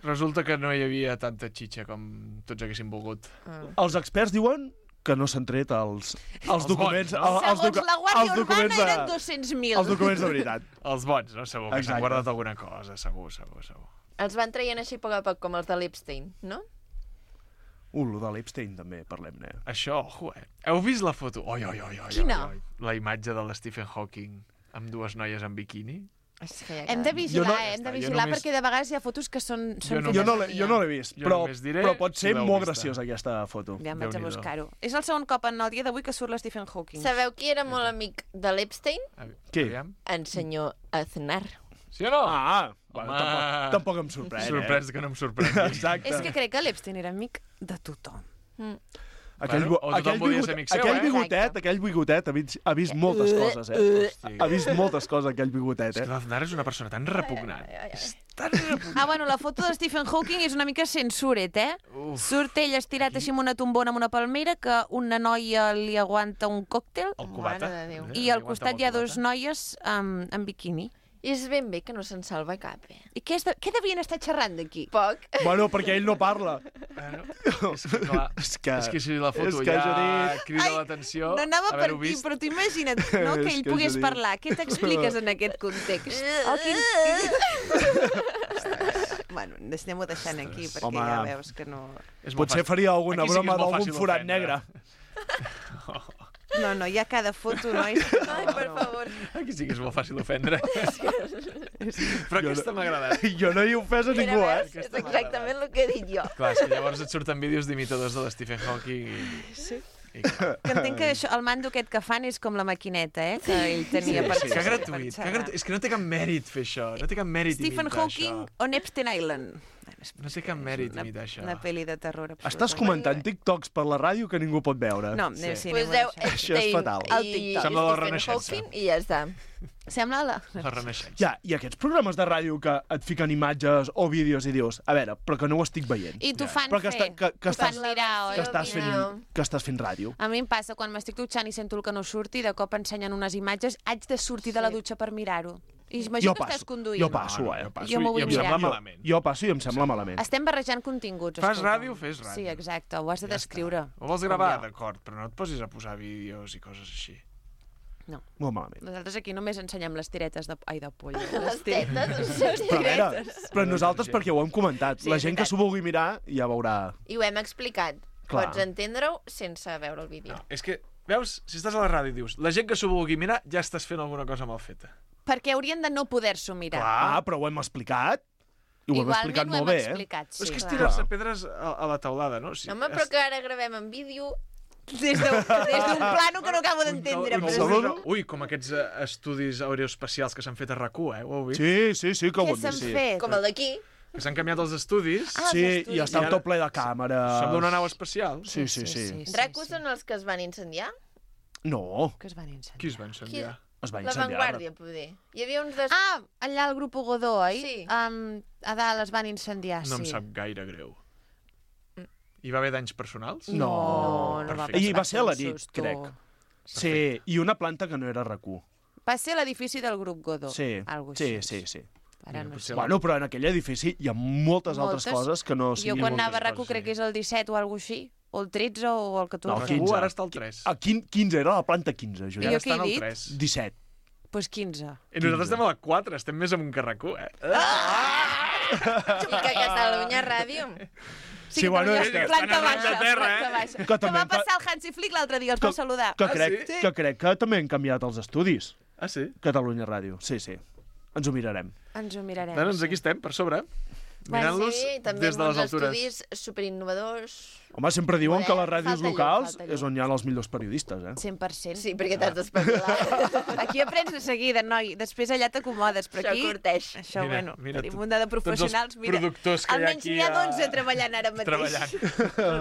Resulta que no hi havia tanta xitxa com tots haguessin volgut. Els experts diuen que no s'han tret els documents... Bons, no? Segons la Guàrdia Urbana eren 200.000. Els documents de veritat. Els bons, no? Segur que s'han guardat alguna cosa, segur. Els van traient així a poc a poc, com els de l'Epstein, no? Lo de l'Epstein també, parlem-ne. Això, Heu vist la foto? Oi. Quina? La imatge de l'Stephen Hawking amb dues noies en biquini. Hem de vigilar, perquè de vegades hi ha fotos que són Jo no l'he vist, però pot ser molt graciosa aquesta foto. Ja em vaig a buscar-ho. És el segon cop en el dia d'avui que surt l'Stephen Hawking. Sabeu qui era molt amic de l'Epstein? Qui? En senyor Aznar. Sí o no? Tampoc em sorprèn. Sorprès que no em sorprèn. Exacte. És que crec que l'Epstein era amic de tothom. Aquell bigotet ha vist moltes coses, Ha vist moltes coses, aquell bigotet, És que l'Aznar és una persona tan repugnant. Bueno, la foto de Stephen Hawking és una mica censuret, Surt ell estirat així amb una tombona, amb una palmera, que una noia li aguanta un còctel. El cubata. I al costat hi ha dos noies en biquini. I és ben bé que no se'n salva cap, I què devien estar xerrant d'aquí? Poc. Bueno, perquè ell no parla. És que si la foto ja crida l'atenció... No anava per aquí, però tu imagina't que ell pogués parlar. Què t'expliques en aquest context? Bueno, anem-ho deixant aquí, perquè ja veus que no... Potser faria alguna broma d'algun forat negre. No, hi ha cada foto, nois. Ai, per favor. Aquí sí que és molt fàcil d'ofendre. Però aquesta m'ha agradat. Jo no he ofès a ningú, És exactament el que he dit jo. Clar, és que llavors et surten vídeos d'imitadors de l'Stephen Hawking Sí. Que entenc que el mando aquest que fan és com la maquineta, que ell tenia per xerrar. Que gratuït. És que no té cap mèrit fer això. No té cap mèrit Stephen imitar Hawking on Epstein Island. No té cap mèrit imitar això. Una pel·li de terror absoluta. Estàs comentant TikToks per la ràdio que ningú pot veure. No, sí. Això és fatal. Sembla la Renaixença. I ja està. Sembla la Renaixença. Ja, i aquests programes de ràdio que et fiquen imatges o vídeos i dius, a veure, però que no ho estic veient. I t'ho fan fer. Que estàs fent ràdio. A mi em passa, quan m'estic dutxant i sento el que no surti, de cop ensenyen unes imatges, haig de sortir de la dutxa per mirar-ho. I imagino que estàs conduint. Jo passo, Jo m'ho vull mirar. Jo passo i em sembla malament. Estem barrejant continguts. Fas ràdio, fes ràdio. Sí, exacte, ho has de descriure. Ho vols gravar? D'acord, però no et posis a posar vídeos i coses així. No. Molt malament. Nosaltres aquí només ensenyem les tiretes de pollo. Les tetes? Però nosaltres perquè ho hem comentat. La gent que s'ho vulgui mirar ja veurà... I ho hem explicat. Pots entendre-ho sense veure el vídeo. És que, veus, si estàs a la ràdio i dius la gent que s'ho vulgui mirar ja estàs fent alguna cosa mal feta. Perquè haurien de no poder-s'ho mirar. Clar, però ho hem explicat. I ho hem explicat molt bé, Sí, és que és tirar-se pedres a la taulada, no? Home, però que ara gravem en vídeo... Des d'un plano que no acabo d'entendre. Ui, com aquests estudis aeroespacials que s'han fet a RAC1, ho heu vist? Sí, que ho hem vist. Què s'han fet? Com el d'aquí. Que s'han canviat els estudis. Sí, i està tot ple de càmeres. Sembla una nau espacial. Sí. RAC1 són els que es van incendiar? No. Que es van incendiar? Qui es va incendiar? La Vanguardia, poder. Hi havia uns... allà al grup Godó, oi? Sí. A dalt es van incendiar, No em sap gaire greu. Hi va haver danys personals? No va I va ser a la nit, crec. Sí, i una planta que no era RAC1. Va ser l'edifici del grup Godó. Sí. Ara no sé. Bueno, però en aquell edifici hi ha moltes altres coses que no... Jo quan anava a RAC1 crec que és el 17 o alguna cosa així, o el 13 o el 14. No, el 15. Ara està el 3. El 15 era la planta 15, Judit. I jo què he dit? 17. Doncs 15. I nosaltres estem a la 4, estem més amunt que RAC1, I que Catalunya Ràdio... Sí, bueno, és que planta baixa. Que va passar el Hansi Flick l'altre dia, els va saludar. Que crec que també han canviat els estudis. Ah, sí? Catalunya Ràdio, sí. Ens ho mirarem. Doncs aquí estem, per sobre, mirant-los des de les altures. També uns estudis superinnovadors... Home, sempre diuen que les ràdios locals és on hi ha els millors periodistes, 100%. Sí, perquè t'has d'espavilar. Aquí aprens de seguida, noi. Després allà t'acomodes, però aquí... Això curteix. Això, bueno, tenim un de professionals. Mira, almenys n'hi ha 12 treballant ara mateix.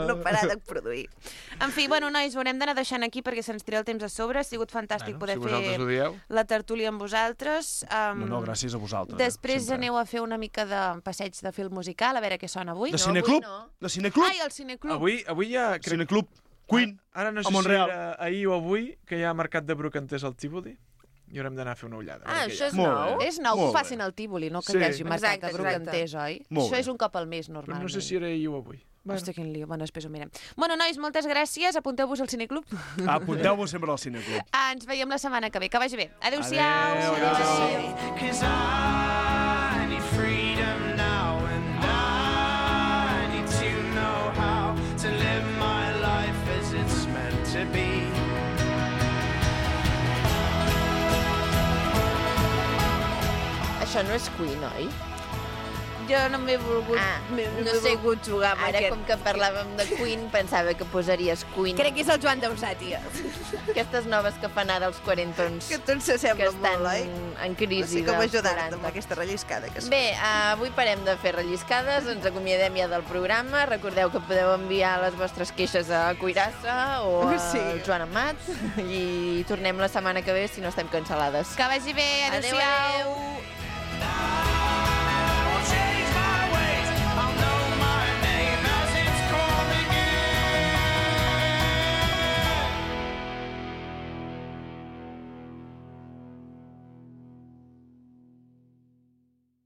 No parar de produir. En fi, bueno, nois, ho haurem d'anar deixant aquí perquè se'ns tira el temps a sobre. Ha sigut fantàstic poder fer la tertúlia amb vosaltres. No, gràcies a vosaltres. Després aneu a fer una mica de passeig de film musical, a veure què sona avui. De cineclub? De cineclub? Ai, el cineclub. Avui hi ha... Cineclub Queen, ara no sé si era ahir o avui, que hi ha mercat de brocanters al Tívoli. I haurem d'anar a fer una ullada. Això és nou? És nou que ho facin al Tívoli, no que hi hagi mercat de brocanters, oi? Això és un cop al mes, normalment. No sé si era ahir o avui. Hosti, quin lío. Bueno, després ho mirem. Bueno, nois, moltes gràcies. Apunteu-vos al cineclub. Apunteu-vos sempre al cineclub. Ens veiem la setmana que ve. Que vagi bé. Adéu-siau. Això no és Queen, oi? jo no m'he volgut... No sé jugar amb Ara, com que parlàvem de Queen, pensava que posaries Queen. Crec que és el Joan Dausà, tia. Aquestes noves que fan ara els quarentons. Que tots s'assemblen molt, oi? En crisi. No sé com ajudar-te amb aquesta relliscada que es fa. Bé, avui parem de fer relliscades, ens acomiadem ja del programa. Recordeu que podeu enviar les vostres queixes a Cuirassa o a Joan Amat i tornem la setmana que ve si no estem cancel·lades. Que vagi bé, adéu-siau. Adéu.